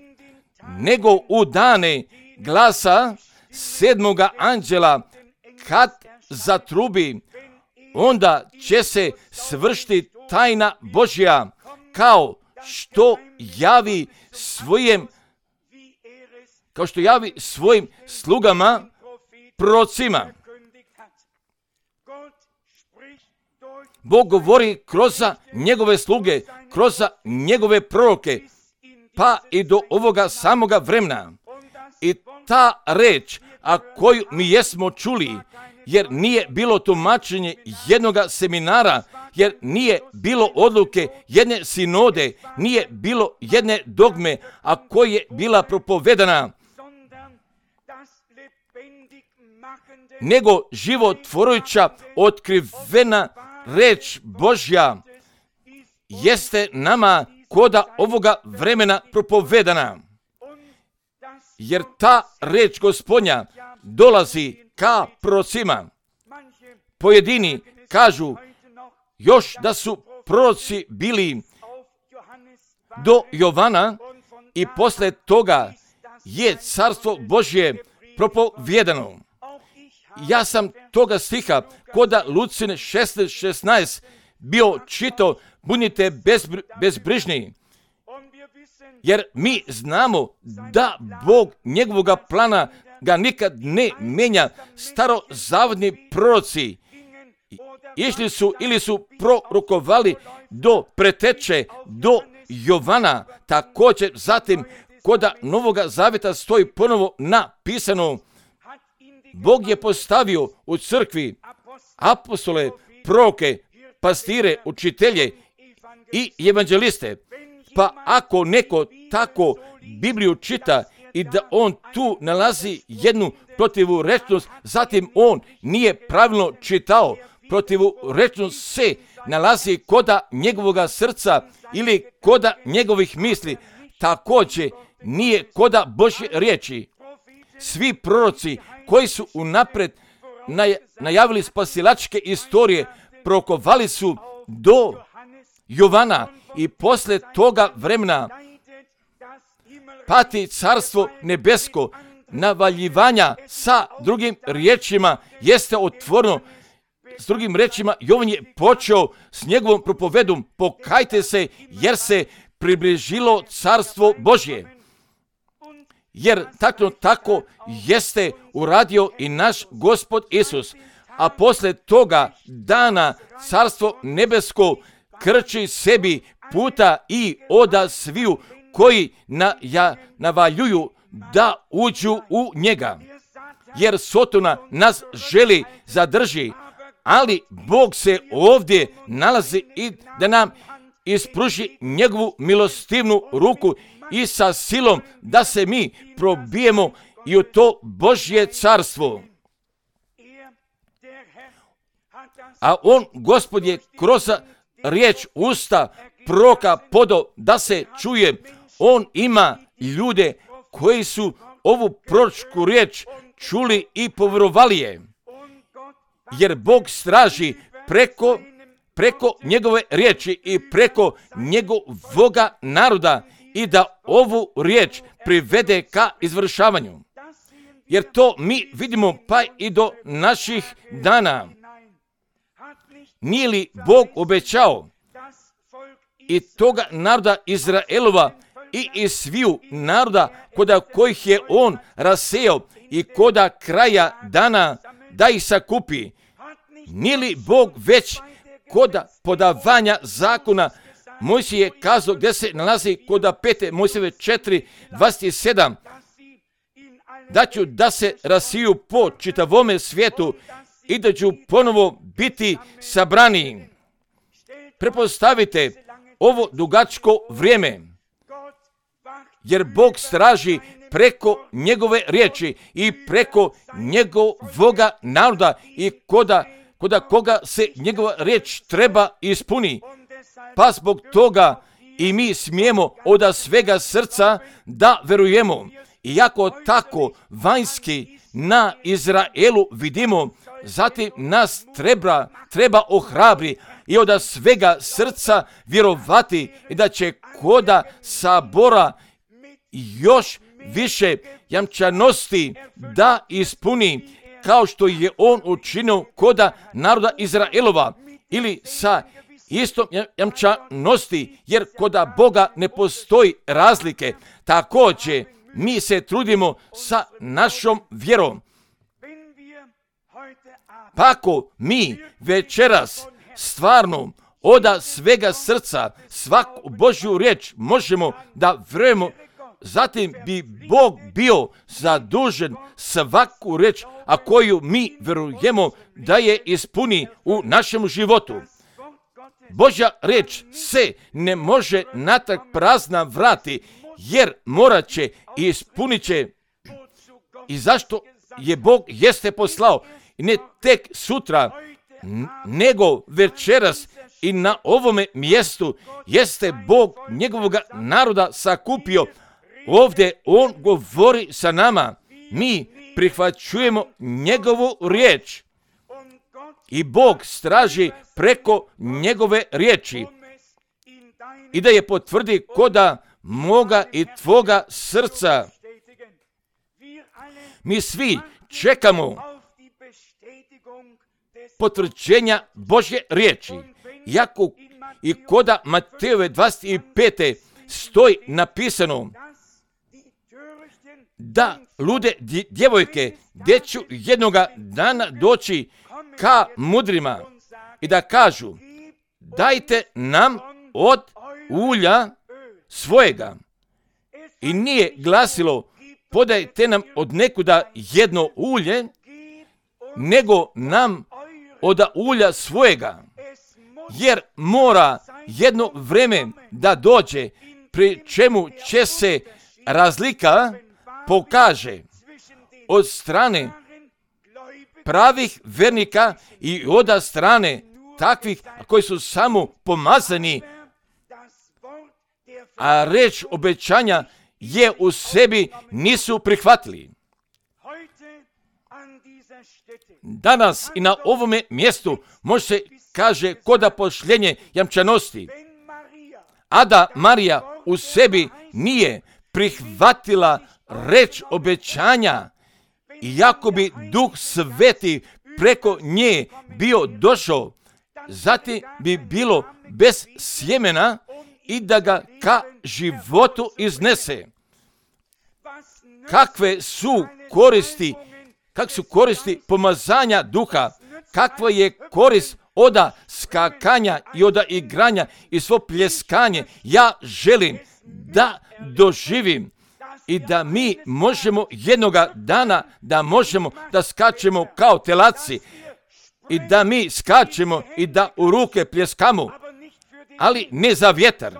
nego u dane glasa sedmoga anđela, kad zatrubi, onda će se svršiti tajna Božja, kao što javi svojim, kao što javi svojim slugama, prorocima. Bog govori kroz njegove sluge, kroz njegove proroke, pa i do ovoga samoga vremena. I ta reč, a koju mi jesmo čuli, jer nije bilo tumačenje jednoga seminara, jer nije bilo odluke jedne sinode, nije bilo jedne dogme, a koja je bila propovedana, nego životvorujuća, otkrivena reč Božja jeste nama koda ovoga vremena propovedana. Jer ta reč Gospodnja dolazi ka prorocima. Pojedini kažu još da su proroci bili do Jovana i posle toga je carstvo Božje propovjedano. Ja sam toga stiha koda Lucine šesnaest šesnaest bio čito, budite bezbr- bezbrižni, jer mi znamo da Bog njegovoga plana ga nikad ne menja. Starozavodni proroci išli su ili su prorokovali do preteče, do Jovana, također zatim koda Novoga Zaveta stoji ponovo napisano, Bog je postavio u crkvi apostole, proroke, pastire, učitelje i evanđeliste. Pa ako neko tako Bibliju čita i da on tu nalazi jednu protivurečnost, zatim on nije pravilno čitao. Protivurečnost se nalazi koda njegovoga srca ili koda njegovih misli. Također nije koda Božje riječi. Svi proroci koji su unapred najavili spasilačke istorije, prorokovali su do Jovana i posle toga vremena pati carstvo nebesko, navaljivanja sa drugim riječima jeste otvoreno. S drugim riječima, Jovan je počeo s njegovom propovedom, pokajte se jer se približilo carstvo Božje. Jer tako tako jeste uradio i naš Gospod Isus. A posle toga dana carstvo nebesko krči sebi puta i oda sviju koji na, ja, navaljuju da uđu u njega. Jer Sotona nas želi zadrži, ali Bog se ovdje nalazi i da nam ispruži njegovu milostivnu ruku i sa silom da se mi probijemo i u to Božje carstvo. A on, Gospod, je kroz riječ usta proroka podo da se čuje. On ima ljude koji su ovu proročku riječ čuli i povjerovali je. Jer Bog straži preko, preko njegove riječi i preko njegovoga naroda i da ovu riječ privede ka izvršavanju. Jer to mi vidimo pa i do naših dana. Nije li Bog obećao i toga naroda Izraelova i iz sviju naroda koda kojih je on rasejao i koda kraja dana da ih sakupi? Nije li Bog već koda podavanja zakona Mojsije je kazao gdje se nalazi koda pete Mojsijeve četiri dvadeset sedam da ću da se rasiju po čitavome svijetu i da ću ponovo biti sabrani. Prepostavite ovo dugačko vrijeme, jer Bog straži preko njegove riječi i preko njegovoga naroda i koda, koda koga se njegova riječ treba ispuni. Pa zbog toga i mi smijemo od svega srca da verujemo. Iako tako vanjski na Izraelu vidimo, zatim nas treba, treba ohrabri i od svega srca vjerovati i da će koda sabora još više jamčanosti da ispuni kao što je on učinio koda naroda Izraelova ili sa istom jamčanosti, jer koda Boga ne postoji razlike. Također mi se trudimo sa našom vjerom. Pa ako mi večeras stvarno oda svega srca svaku Božju riječ možemo da vjerujemo, zatim bi Bog bio zadužen svaku riječ, a koju mi vjerujemo da je ispuni u našem životu. Božja riječ se ne može natrag prazna vrati, jer morat će i ispunit će. I zašto je Bog jeste poslao, i ne tek sutra, nego večeras i na ovome mjestu jeste Bog njegovog naroda sakupio. Ovdje on govori sa nama. Mi prihvaćujemo njegovu riječ i Bog straži preko njegove riječi i da je potvrdi koda moga i tvoga srca. Mi svi čekamo potvrđenja Božje riječi. Iako i koda Matejove dvadeset pete stoji napisano da lude djevojke gdje ću jednoga dana doći ka mudrima i da kažu: dajte nam od ulja svojega. I nije glasilo: podajte nam od nekuda jedno ulje, nego nam od ulja svojega. Jer mora jedno vrijeme da dođe, pri čemu će se razlika pokaže od strane pravih vernika i od strane takvih koji su samo pomazani, a reč obećanja je u sebi nisu prihvatili. Danas i na ovome mjestu može se kaže koda pošljenje jamčanosti. A da Marija u sebi nije prihvatila reč obećanja, iako bi Duh Sveti preko nje bio došao, zatim bi bilo bez sjemena i da ga ka životu iznese. Kakve su koristi, kak su koristi pomazanja duha, kakva je korist oda skakanja i oda igranja i svo pljeskanje, ja želim da doživim i da mi možemo jednoga dana, da možemo da skačemo kao telaci i da mi skačemo i da u ruke pljeskamo, ali ne za vjetar,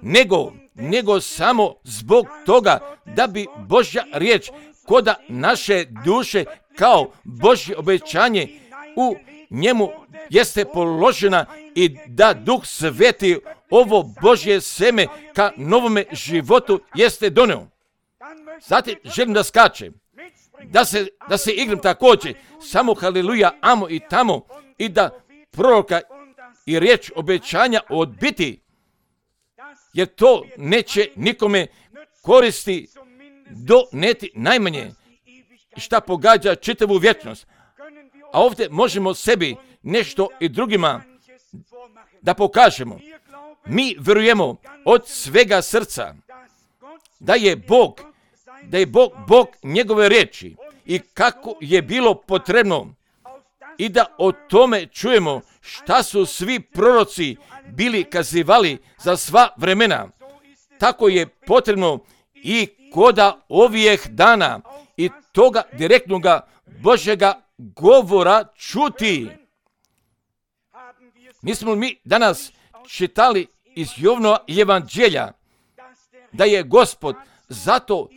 nego, nego samo zbog toga da bi Božja riječ koda naše duše kao Božje obećanje u njemu jeste položena i da Duh Sveti ovo Božje seme ka novome životu jeste doneo. Zatim želim da skačem, da se, da se igram također, samo haleluja, amo i tamo i da proroka i riječ obećanja odbiti, jer to neće nikome koristi do neti najmanje šta pogađa čitavu vječnost. A ovdje možemo sebi nešto i drugima da pokažemo. Mi vjerujemo od svega srca da je Bog, da je Bog, Bog njegove riječi i kako je bilo potrebno i da o tome čujemo šta su svi proroci bili kazivali za sva vremena. Tako je potrebno i koda ovih dana i toga direktnoga Božjega govora čuti. Nismo mi danas čitali iz Jovanova evanđelja da je Gospod zato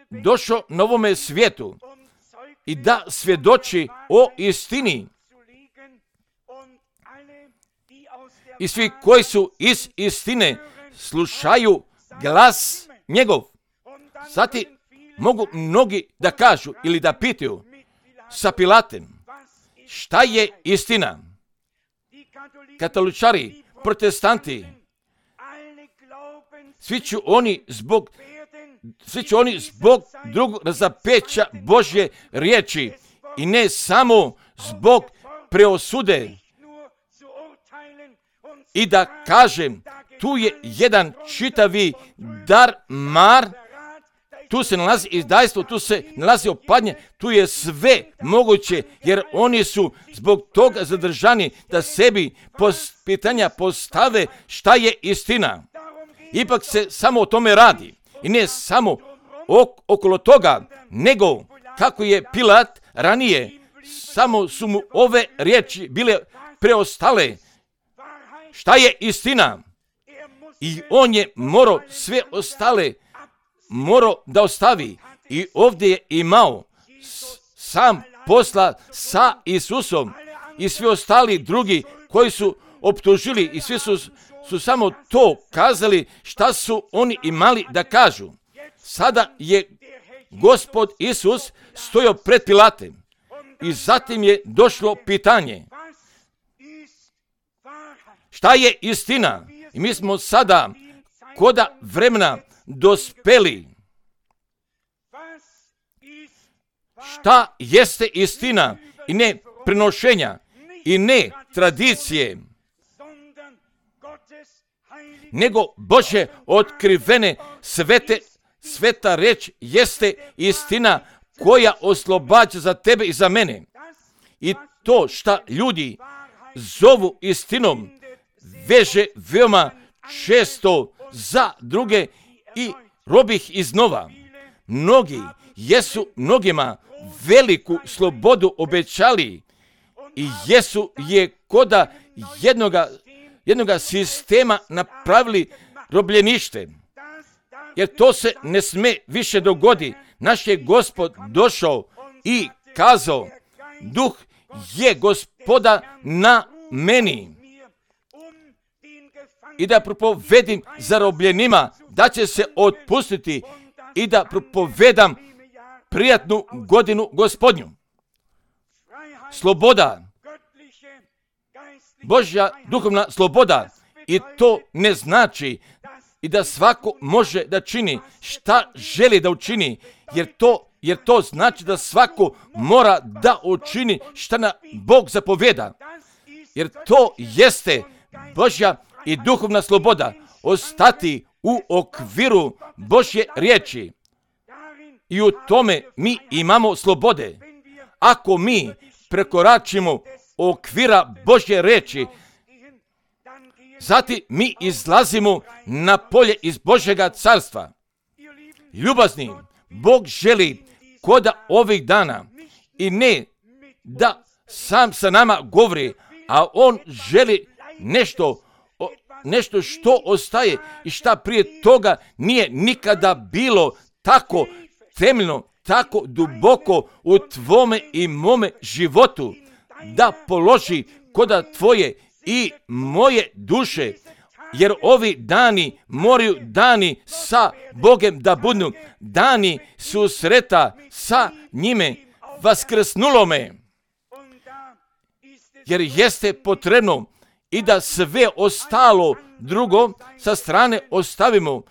došao na ovome svijetu i da svjedoči o istini. I svi koji su iz istine slušaju glas njegov. Zatim mogu mnogi da kažu ili da pitaju sa Pilatem, šta je istina? Katoličari, protestanti, svi će oni zbog svi će oni zbog drugog razapeća Božje riječi i ne samo zbog preosude. I da kažem, tu je jedan čitavi dar mar, tu se nalazi izdajstvo, tu se nalazi opadnje, tu je sve moguće, jer oni su zbog toga zadržani da sebi pitanja postave šta je istina. Ipak se samo o tome radi i ne samo ok, okolo toga, nego kako je Pilat ranije, samo su mu ove riječi bile preostale. Šta je istina? I on je morao sve ostale morao da ostavi i ovdje je imao sam posla sa Isusom i svi ostali drugi koji su optužili i svi su, su samo to kazali šta su oni imali da kažu. Sada je Gospod Isus stojao pred Pilatem i zatim je došlo pitanje šta je istina? I mi smo sada koda vremena dospeli. Šta jeste istina i ne prenošenja i ne tradicije, nego Božje otkrivene svete, sveta reč jeste istina koja oslobađa za tebe i za mene. I to šta ljudi zovu istinom veže veoma često za druge i robih iznova. Mnogi jesu mnogima veliku slobodu obećali i jesu je koda jednoga, jednoga sistema napravili robljenište. Jer to se ne sme više dogodi. Naš je Gospod došao i kazao, Duh je Gospoda na meni. I da propovedim zarobljenima da će se otpustiti i da propovedam prijatnu godinu Gospodnju. Sloboda, Božja duhovna sloboda, i to ne znači i da svako može da čini šta želi da učini, jer to, jer to znači da svako mora da učini šta na Bog zapovjeda. Jer to jeste Božja i duhovna sloboda, ostati u okviru Božje riječi. I u tome mi imamo slobode. Ako mi prekoračimo okvira Božje reči, zatim mi izlazimo na polje iz Božjega carstva. Ljubazni, Bog želi koda ovih dana i ne da sam sa nama govori, a On želi nešto, nešto što ostaje i šta prije toga nije nikada bilo tako temeljno, tako duboko u tvome i mome životu, da položi koda tvoje i moje duše, jer ovi dani moraju dani sa Bogem da budu dani susreta sa njime vaskrsnulome, jer jeste potrebno i da sve ostalo drugo sa strane ostavimo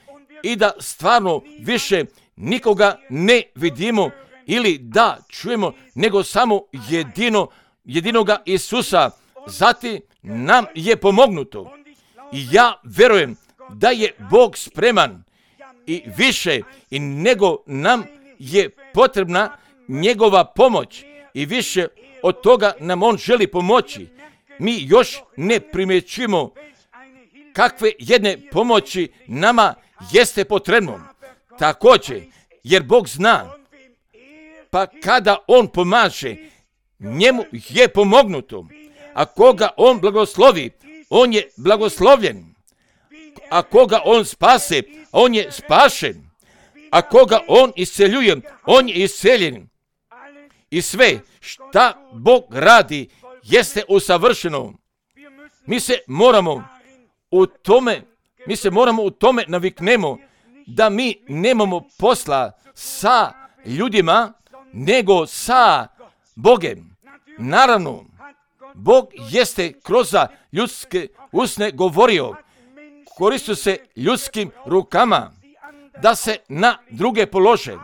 i da stvarno više nikoga ne vidimo ili da čujemo, nego samo jedino, jedinoga Isusa. Zatim nam je pomognuto i ja verujem da je Bog spreman i više i nego nam je potrebna njegova pomoć i više od toga nam On želi pomoći. Mi još ne primjećujemo kakve jedne pomoći nama jeste potrebno. Također, jer Bog zna, pa kada On pomaže, njemu je pomognuto. A koga On blagoslovi, on je blagoslovljen. A koga On spase, on je spašen. A koga On isceljuje, on je isceljen. I sve šta Bog radi jeste usavršeno. Mi se moramo u tome, mi se moramo u tome naviknemo da mi nemamo posla sa ljudima, nego sa Bogem. Naravno, Bog jeste kroz ljudske usne govorio, koristio se ljudskim rukama da se na druge polože.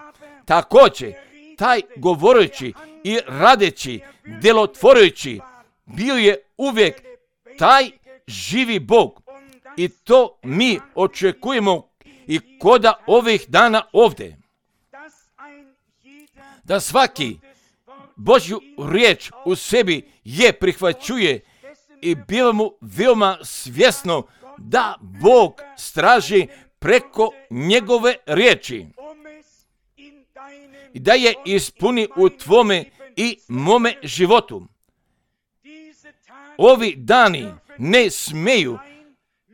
Također, taj govoreći i radeći, djelotvorujući, bio je uvijek taj živi Bog. I to mi očekujemo i koda ovih dana ovdje. Da svaki Božju riječ u sebi je prihvaćuje i biva mu veoma svjesno da Bog straži preko njegove riječi i da je ispuni u tvome i mome životu. Ovi dani ne smeju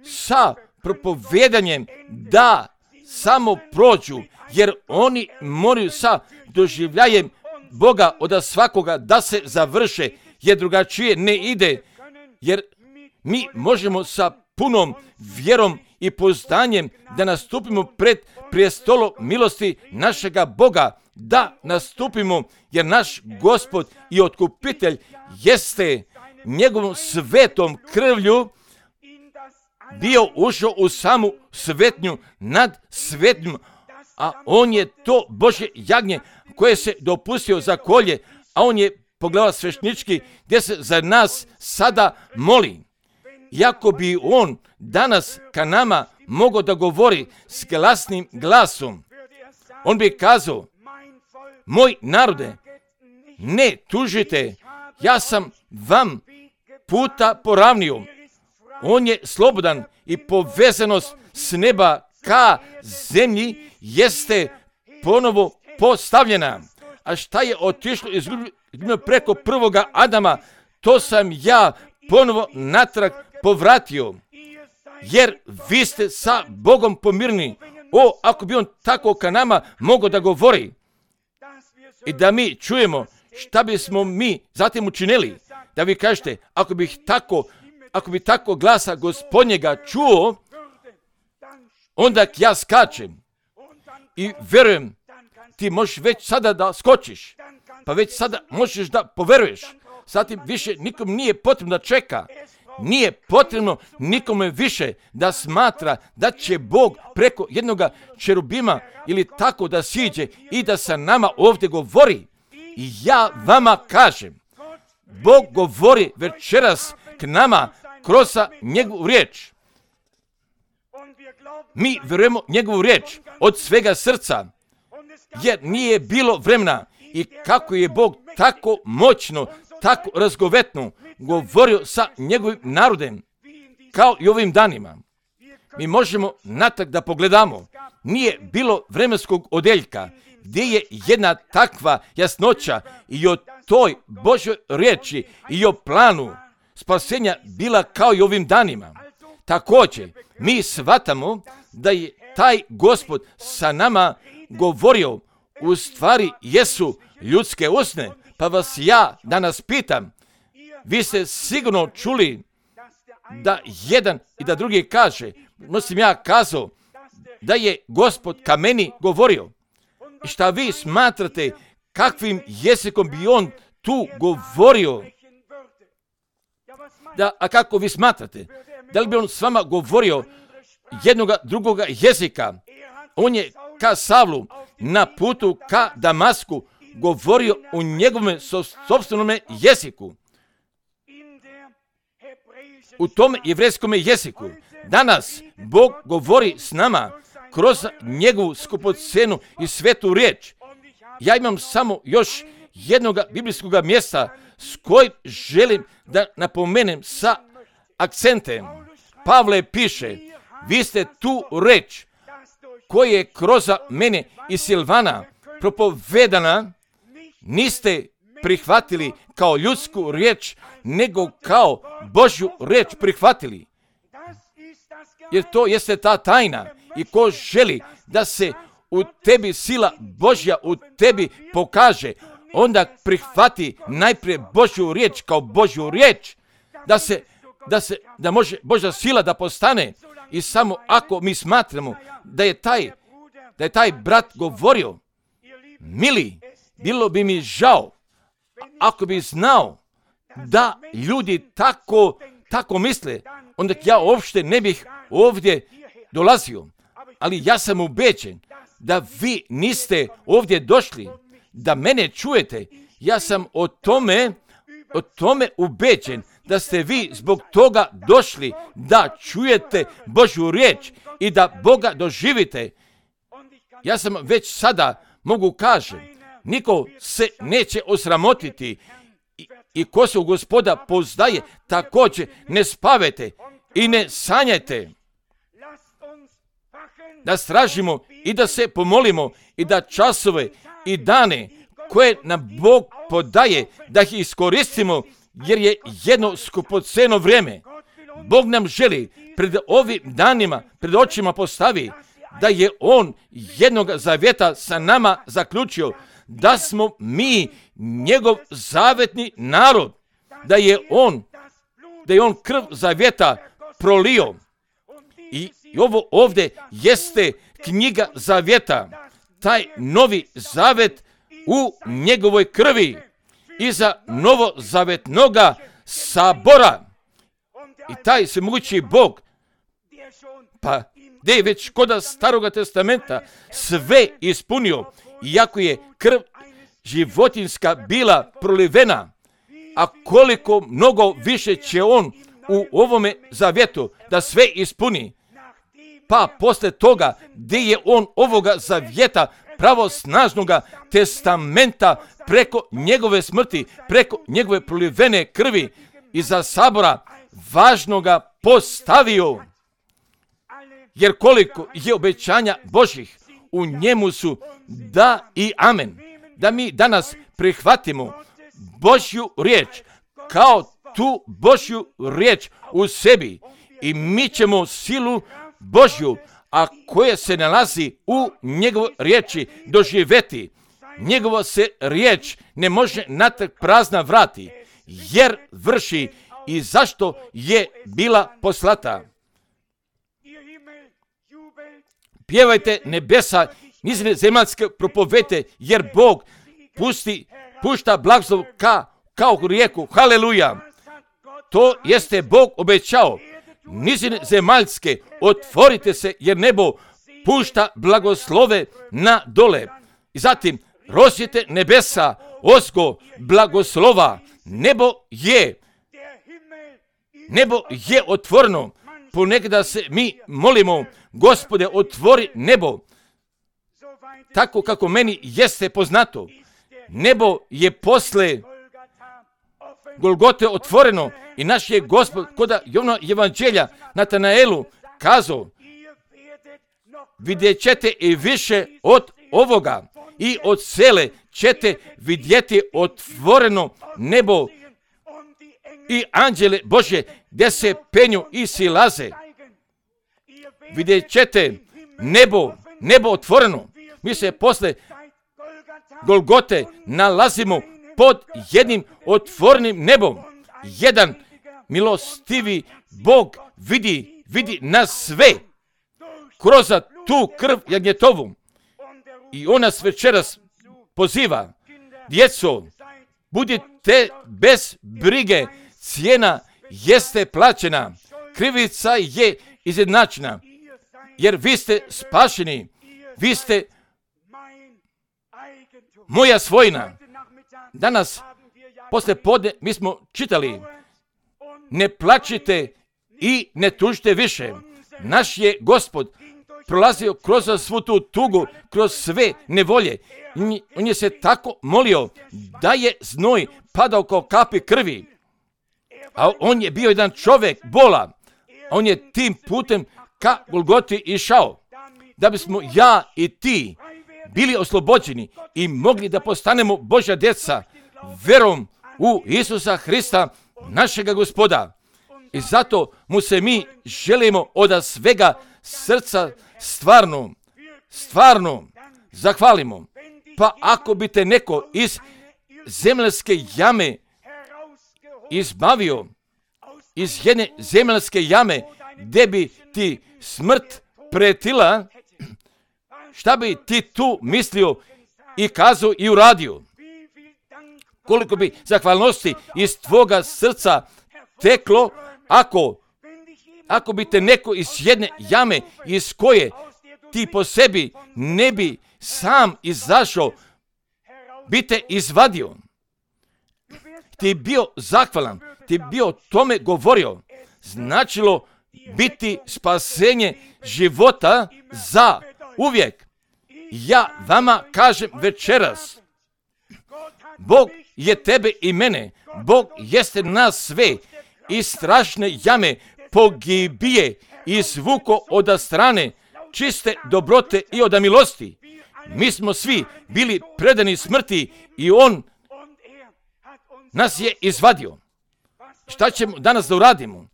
sa propovedanjem da samo prođu, jer oni moraju sa doživljajem Boga od svakoga da se završe, jer drugačije ne ide, jer mi možemo sa punom vjerom i poznanjem da nastupimo pred prijestolo milosti našega Boga, da nastupimo, jer naš Gospod i Otkupitelj jeste njegovom svetom krvlju bio ušao u samu svetnju nad svetnjom, a on je to Božje jagnje koje se dopustio za kolje, a on je pogledao svešnički gdje se za nas sada moli. Iako bi on danas ka nama mogao da govori s glasnim glasom, on bi kazao: moj narode, ne tužite, ja sam vam puta poravnio. On je slobodan i povezanost s neba ka zemlji jeste ponovo postavljena. A šta je otišlo izgubljeno preko prvoga Adama, to sam ja ponovo natrag povratio. Jer vi ste sa Bogom pomirni. O, ako bi on tako ka nama mogao da govori i da mi čujemo šta bismo mi zatim učinili. Da vi kažete, ako bih tako, ako bi tako glasa Gospodnjega čuo, onda ja skačem i verujem, ti možeš već sada da skočiš, pa već sada možeš da poveruješ. Zatim više nikom nije potrebno da čeka. Nije potrebno nikome više da smatra da će Bog preko jednoga čerubima ili tako da siđe i da sa nama ovdje govori. I ja vama kažem, Bog govori večeras k nama kroz njegovu riječ. Mi vjerujemo njegovu riječ od svega srca, jer nije bilo vremena i kako je Bog tako moćno, tako razgovetno govorio sa njegovim narodem, kao i ovim danima. Mi možemo natrag da pogledamo. Nije bilo vremenskog odeljka gdje je jedna takva jasnoća i o toj Božoj riječi i o planu spasenja bila kao i ovim danima. Također, mi shvatamo da je taj Gospod sa nama govorio, u stvari jesu ljudske usne. Pa vas ja danas pitam, vi ste sigurno čuli da jedan i da drugi kaže, mislim ja kazao, da je Gospod ka meni govorio. I šta vi smatrate, kakvim jezikom bi on tu govorio? Da, a kako vi smatrate? Da li bi on s vama govorio jednoga drugoga jezika? On je ka Savlu na putu ka Damasku govorio u njegovom sopstvenome jeziku. U tom jevrejskom jeziku. Danas Bog govori s nama kroz njegovu skupocenu i svetu riječ. Ja imam samo još jednog biblijskog mjesta s kojim želim da napomenem sa akcentem. Pavle piše, vi ste tu reč koja je kroz mene i Silvana propovedana, niste prihvatili kao ljudsku riječ, nego kao Božju riječ prihvatili. Jer to jeste ta tajna. I ko želi da se u tebi sila Božja u tebi pokaže, onda prihvati najprije Božju riječ kao Božju riječ, da se, da se, da može Božja sila da postane. I samo ako mi smatramo da je taj, da je taj brat govorio, mili, bilo bi mi žao ako bi znao da ljudi tako, tako misle, onda ja uopšte ne bih ovdje dolazio. Ali ja sam ubeđen da vi niste ovdje došli, da mene čujete. Ja sam o tome, o tome ubeđen da ste vi zbog toga došli da čujete Božju riječ i da Boga doživite. Ja sam već sada mogu kažem, niko se neće osramotiti i, i ko se u Gospoda poznaje, također ne spavajte i ne sanjajte. Da stražimo i da se pomolimo i da časove i dane koje nam Bog podaje, da ih iskoristimo, jer je jedno skupoceno vrijeme. Bog nam želi pred ovim danima, pred očima postavi, da je On jednog zavjeta sa nama zaključio, da smo mi njegov zavetni narod, da je On, da je On krv zavjeta prolio. I I ovo ovdje jeste knjiga zavjeta, taj novi zavet u njegovoj krvi iza novozavetnoga sabora. I taj svemogući Bog, pa gdje je već kod Staroga testamenta sve ispunio, iako je krv životinjska bila prolivena, a koliko mnogo više će on u ovome zavjetu da sve ispuni. Pa posle toga gdje je on ovoga zavjeta pravosnažnoga testamenta preko njegove smrti, preko njegove prolivene krvi iza sabora važnoga postavio. Jer koliko je obećanja Božih u njemu su da i amen. Da mi danas prihvatimo Božju riječ kao tu Božju riječ u sebi i mi ćemo silu Božju, a koja se nalazi u njegovoj riječi doživjeti. Njegova se riječ ne može natrag prazna vrati, jer vrši i zašto je bila poslata. Pjevajte nebesa, nizine zemaljske propovete, jer Bog pusti, pušta blagoslov ka, kao rijeku. Haleluja! To jeste Bog obećao. Nizine zemaljske, otvorite se, jer nebo pušta blagoslove na dole. I zatim, rozjete nebesa, ozgo blagoslova. Nebo je, nebo je otvoreno. Ponekada se mi molimo, Gospode, otvori nebo. Tako kako meni jeste poznato. Nebo je posle Golgote otvoreno i naš je Gospod kod Jovana evanđelja Natanaelu kazao, vidjet ćete i više od ovoga i od sele ćete vidjeti otvoreno nebo i anđele Božje gdje se penju i silaze. Vidjet ćete nebo, nebo otvoreno. Mi se posle Golgote nalazimo pod jednim otvorenim nebom. Jedan milostivi Bog vidi, vidi nas sve kroz tu krv jagnjetovu. I on nas večeras poziva, djeco, budite bez brige, cijena jeste plaćena, krivica je izjednačena, jer vi ste spašeni, vi ste moja svojina. Danas, posle podne, mi smo čitali, ne plačite i ne tužite više. Naš je Gospod prolazio kroz svu tu tugu, kroz sve nevolje. On je se tako molio da je znoj padao kao kapi krvi. A on je bio jedan čovjek bola. On je tim putem ka Golgoti išao. Da bismo ja i ti bili oslobođeni i mogli da postanemo Božja djeca verom u Isusa Hrista, našega Gospoda. I zato mu se mi želimo od svega srca stvarno, stvarno zahvalimo. Pa ako bi te neko iz zemljske jame izbavio, iz jedne zemljske jame gdje bi ti smrt pretila, šta bi ti tu mislio i kazao i uradio? Koliko bi zahvalnosti iz tvoga srca teklo ako, ako bi te neko iz jedne jame iz koje ti po sebi ne bi sam izašao, bi te izvadio. Ti bio zahvalan, ti bio tome govorio. Značilo biti spasenje života za uvijek. Ja vama kažem večeras, Bog je tebe i mene, Bog jeste nas sve iz strašne jame pogibije izvuko od strane čiste dobrote i od milosti. Mi smo svi bili predani smrti i on nas je izvadio. Šta ćemo danas da uradimo?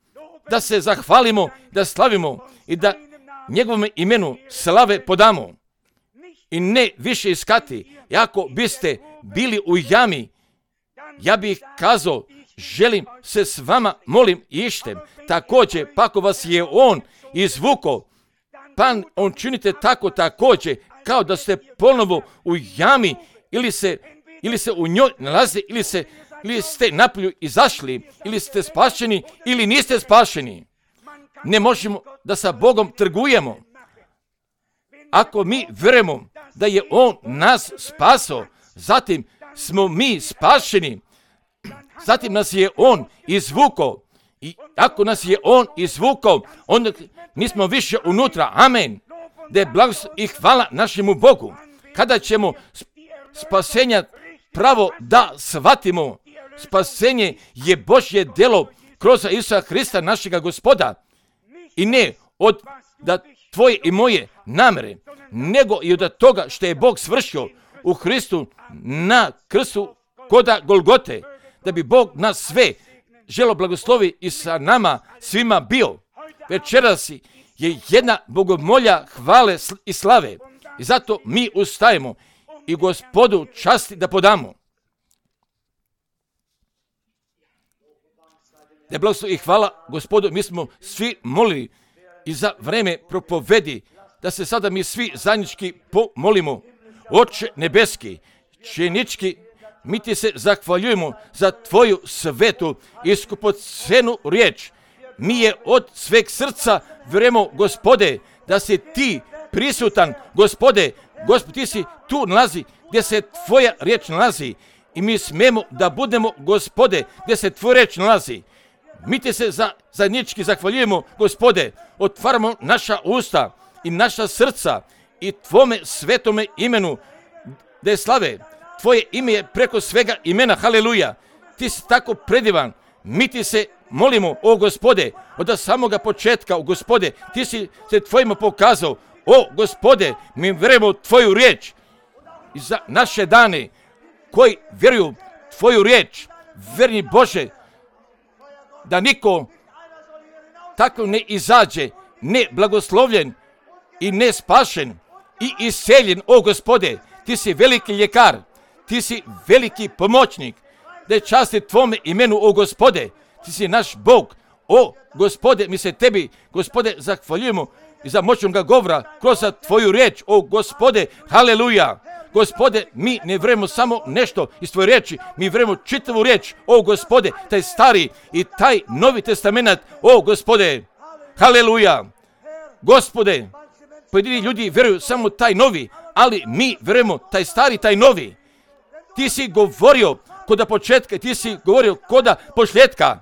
Da se zahvalimo, da slavimo i da njegovom imenu slave podamo. I ne više iskati. Ako biste bili u jami, ja bih kazao, želim se s vama, molim ištem. Također, pa ako vas je on izvuko, pa on činite tako također, kao da ste ponovo u jami ili se, ili se u njoj nalazi, ili, se, ili ste napolju izašli, ili ste spašeni, ili niste spašeni. Ne možemo da sa Bogom trgujemo. Ako mi vjerujemo da je on nas spasao, zatim smo mi spašeni, zatim nas je on izvukao. I ako nas je on izvukao, onda nismo više unutra. Amen. Da je blagoslov i hvala našemu Bogu. Kada ćemo spasenja pravo da shvatimo, spasenje je Božje djelo kroz Isusa Hrista, našega Gospoda. I ne od da tvoje i moje namere, nego i od toga što je Bog svršio u Hristu na krstu koda Golgote, da bi Bog nas sve želo blagoslovi i sa nama svima bio. Večeras je jedna bogomolja hvale i slave i zato mi ustajemo i Gospodu časti da podamo. Da je blagoslov i hvala Gospodu, mi smo svi molili i za vreme propovedi da se sada mi svi zajednički pomolimo. Oče nebeski, činički, mi ti se zahvaljujemo za tvoju svetu i skupocenu riječ. Mi je od sveg srca vjerujemo, Gospode, da si ti prisutan, Gospode. Gospod, ti si tu nalazi gdje se tvoja riječ nalazi i mi smemo da budemo, Gospode, gdje se tvoja riječ nalazi. Mi ti se za, zajednički zahvaljujemo, Gospode, otvaramo naša usta i naša srca i tvome svetome imenu da je slave. Tvoje ime je preko svega imena, haleluja. ti si tako predivan. Mi ti se molimo, o Gospode, od samoga početka, o Gospode, ti si se tvojima pokazao. O Gospode, mi vjerujemo tvoju riječ. I za naše dane koji vjeruju tvoju riječ, verni Bože, da niko tako ne izađe, ne blagoslovljen i ne spašen i iseljen, o Gospode, ti si veliki ljekar, ti si veliki pomoćnik, da je časti tvome imenu, o Gospode, ti si naš Bog, o Gospode, mi se tebi, Gospode, zahvaljujemo i za moćnoga govora kroz tvoju riječ, o Gospode, haleluja. Gospode, mi ne vjerujemo samo nešto iz tvoje riječi, mi vjerujemo čitavu riječ, o Gospode, taj stari i taj novi testament, o Gospode, haleluja. Gospode, pojedini ljudi vjeruju samo taj novi, ali mi vjerujemo taj stari, taj novi. Ti si govorio koda početka, ti si govorio koda posljedka,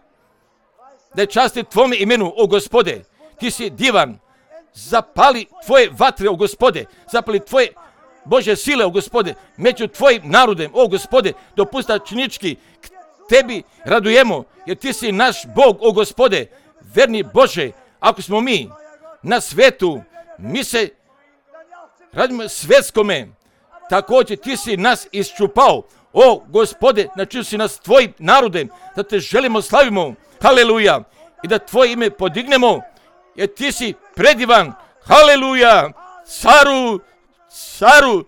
da je časti tvome imenu, o Gospode, ti si divan, zapali tvoje vatre, o Gospode, zapali tvoje Bože sile, o Gospode, među tvojim narodem, o Gospode, dopusta činički k tebi radujemo, jer ti si naš Bog, o Gospode, verni Bože. Ako smo mi na svetu, mi se radimo svetskome, također ti si nas iščupao, o Gospode, načinio si nas tvojim narodem, da te želimo slavimo, haleluja, i da tvoje ime podignemo, jer ti si predivan, haleluja, caru, caru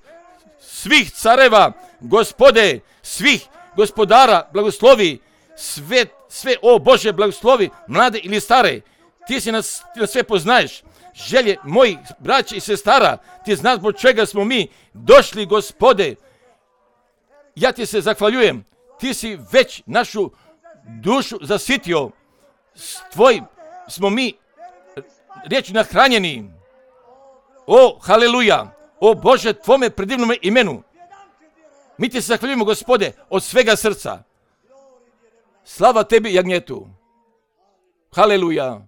svih careva, Gospode, svih gospodara, blagoslovi, sve, sve, o Bože, blagoslovi, mlade ili stare, ti si nas, ti nas sve poznaješ, želje mojih braća i sestara, ti znaš zbog čega smo mi došli, Gospode, ja ti se zahvaljujem, ti si već našu dušu zasitio, s tvojim smo mi riječi nahranjeni, o, haleluja, o Bože, tvome predivnome imenu, mi ti se zahvaljujemo, Gospode, od svega srca, slava tebi, jagnjetu, haleluja.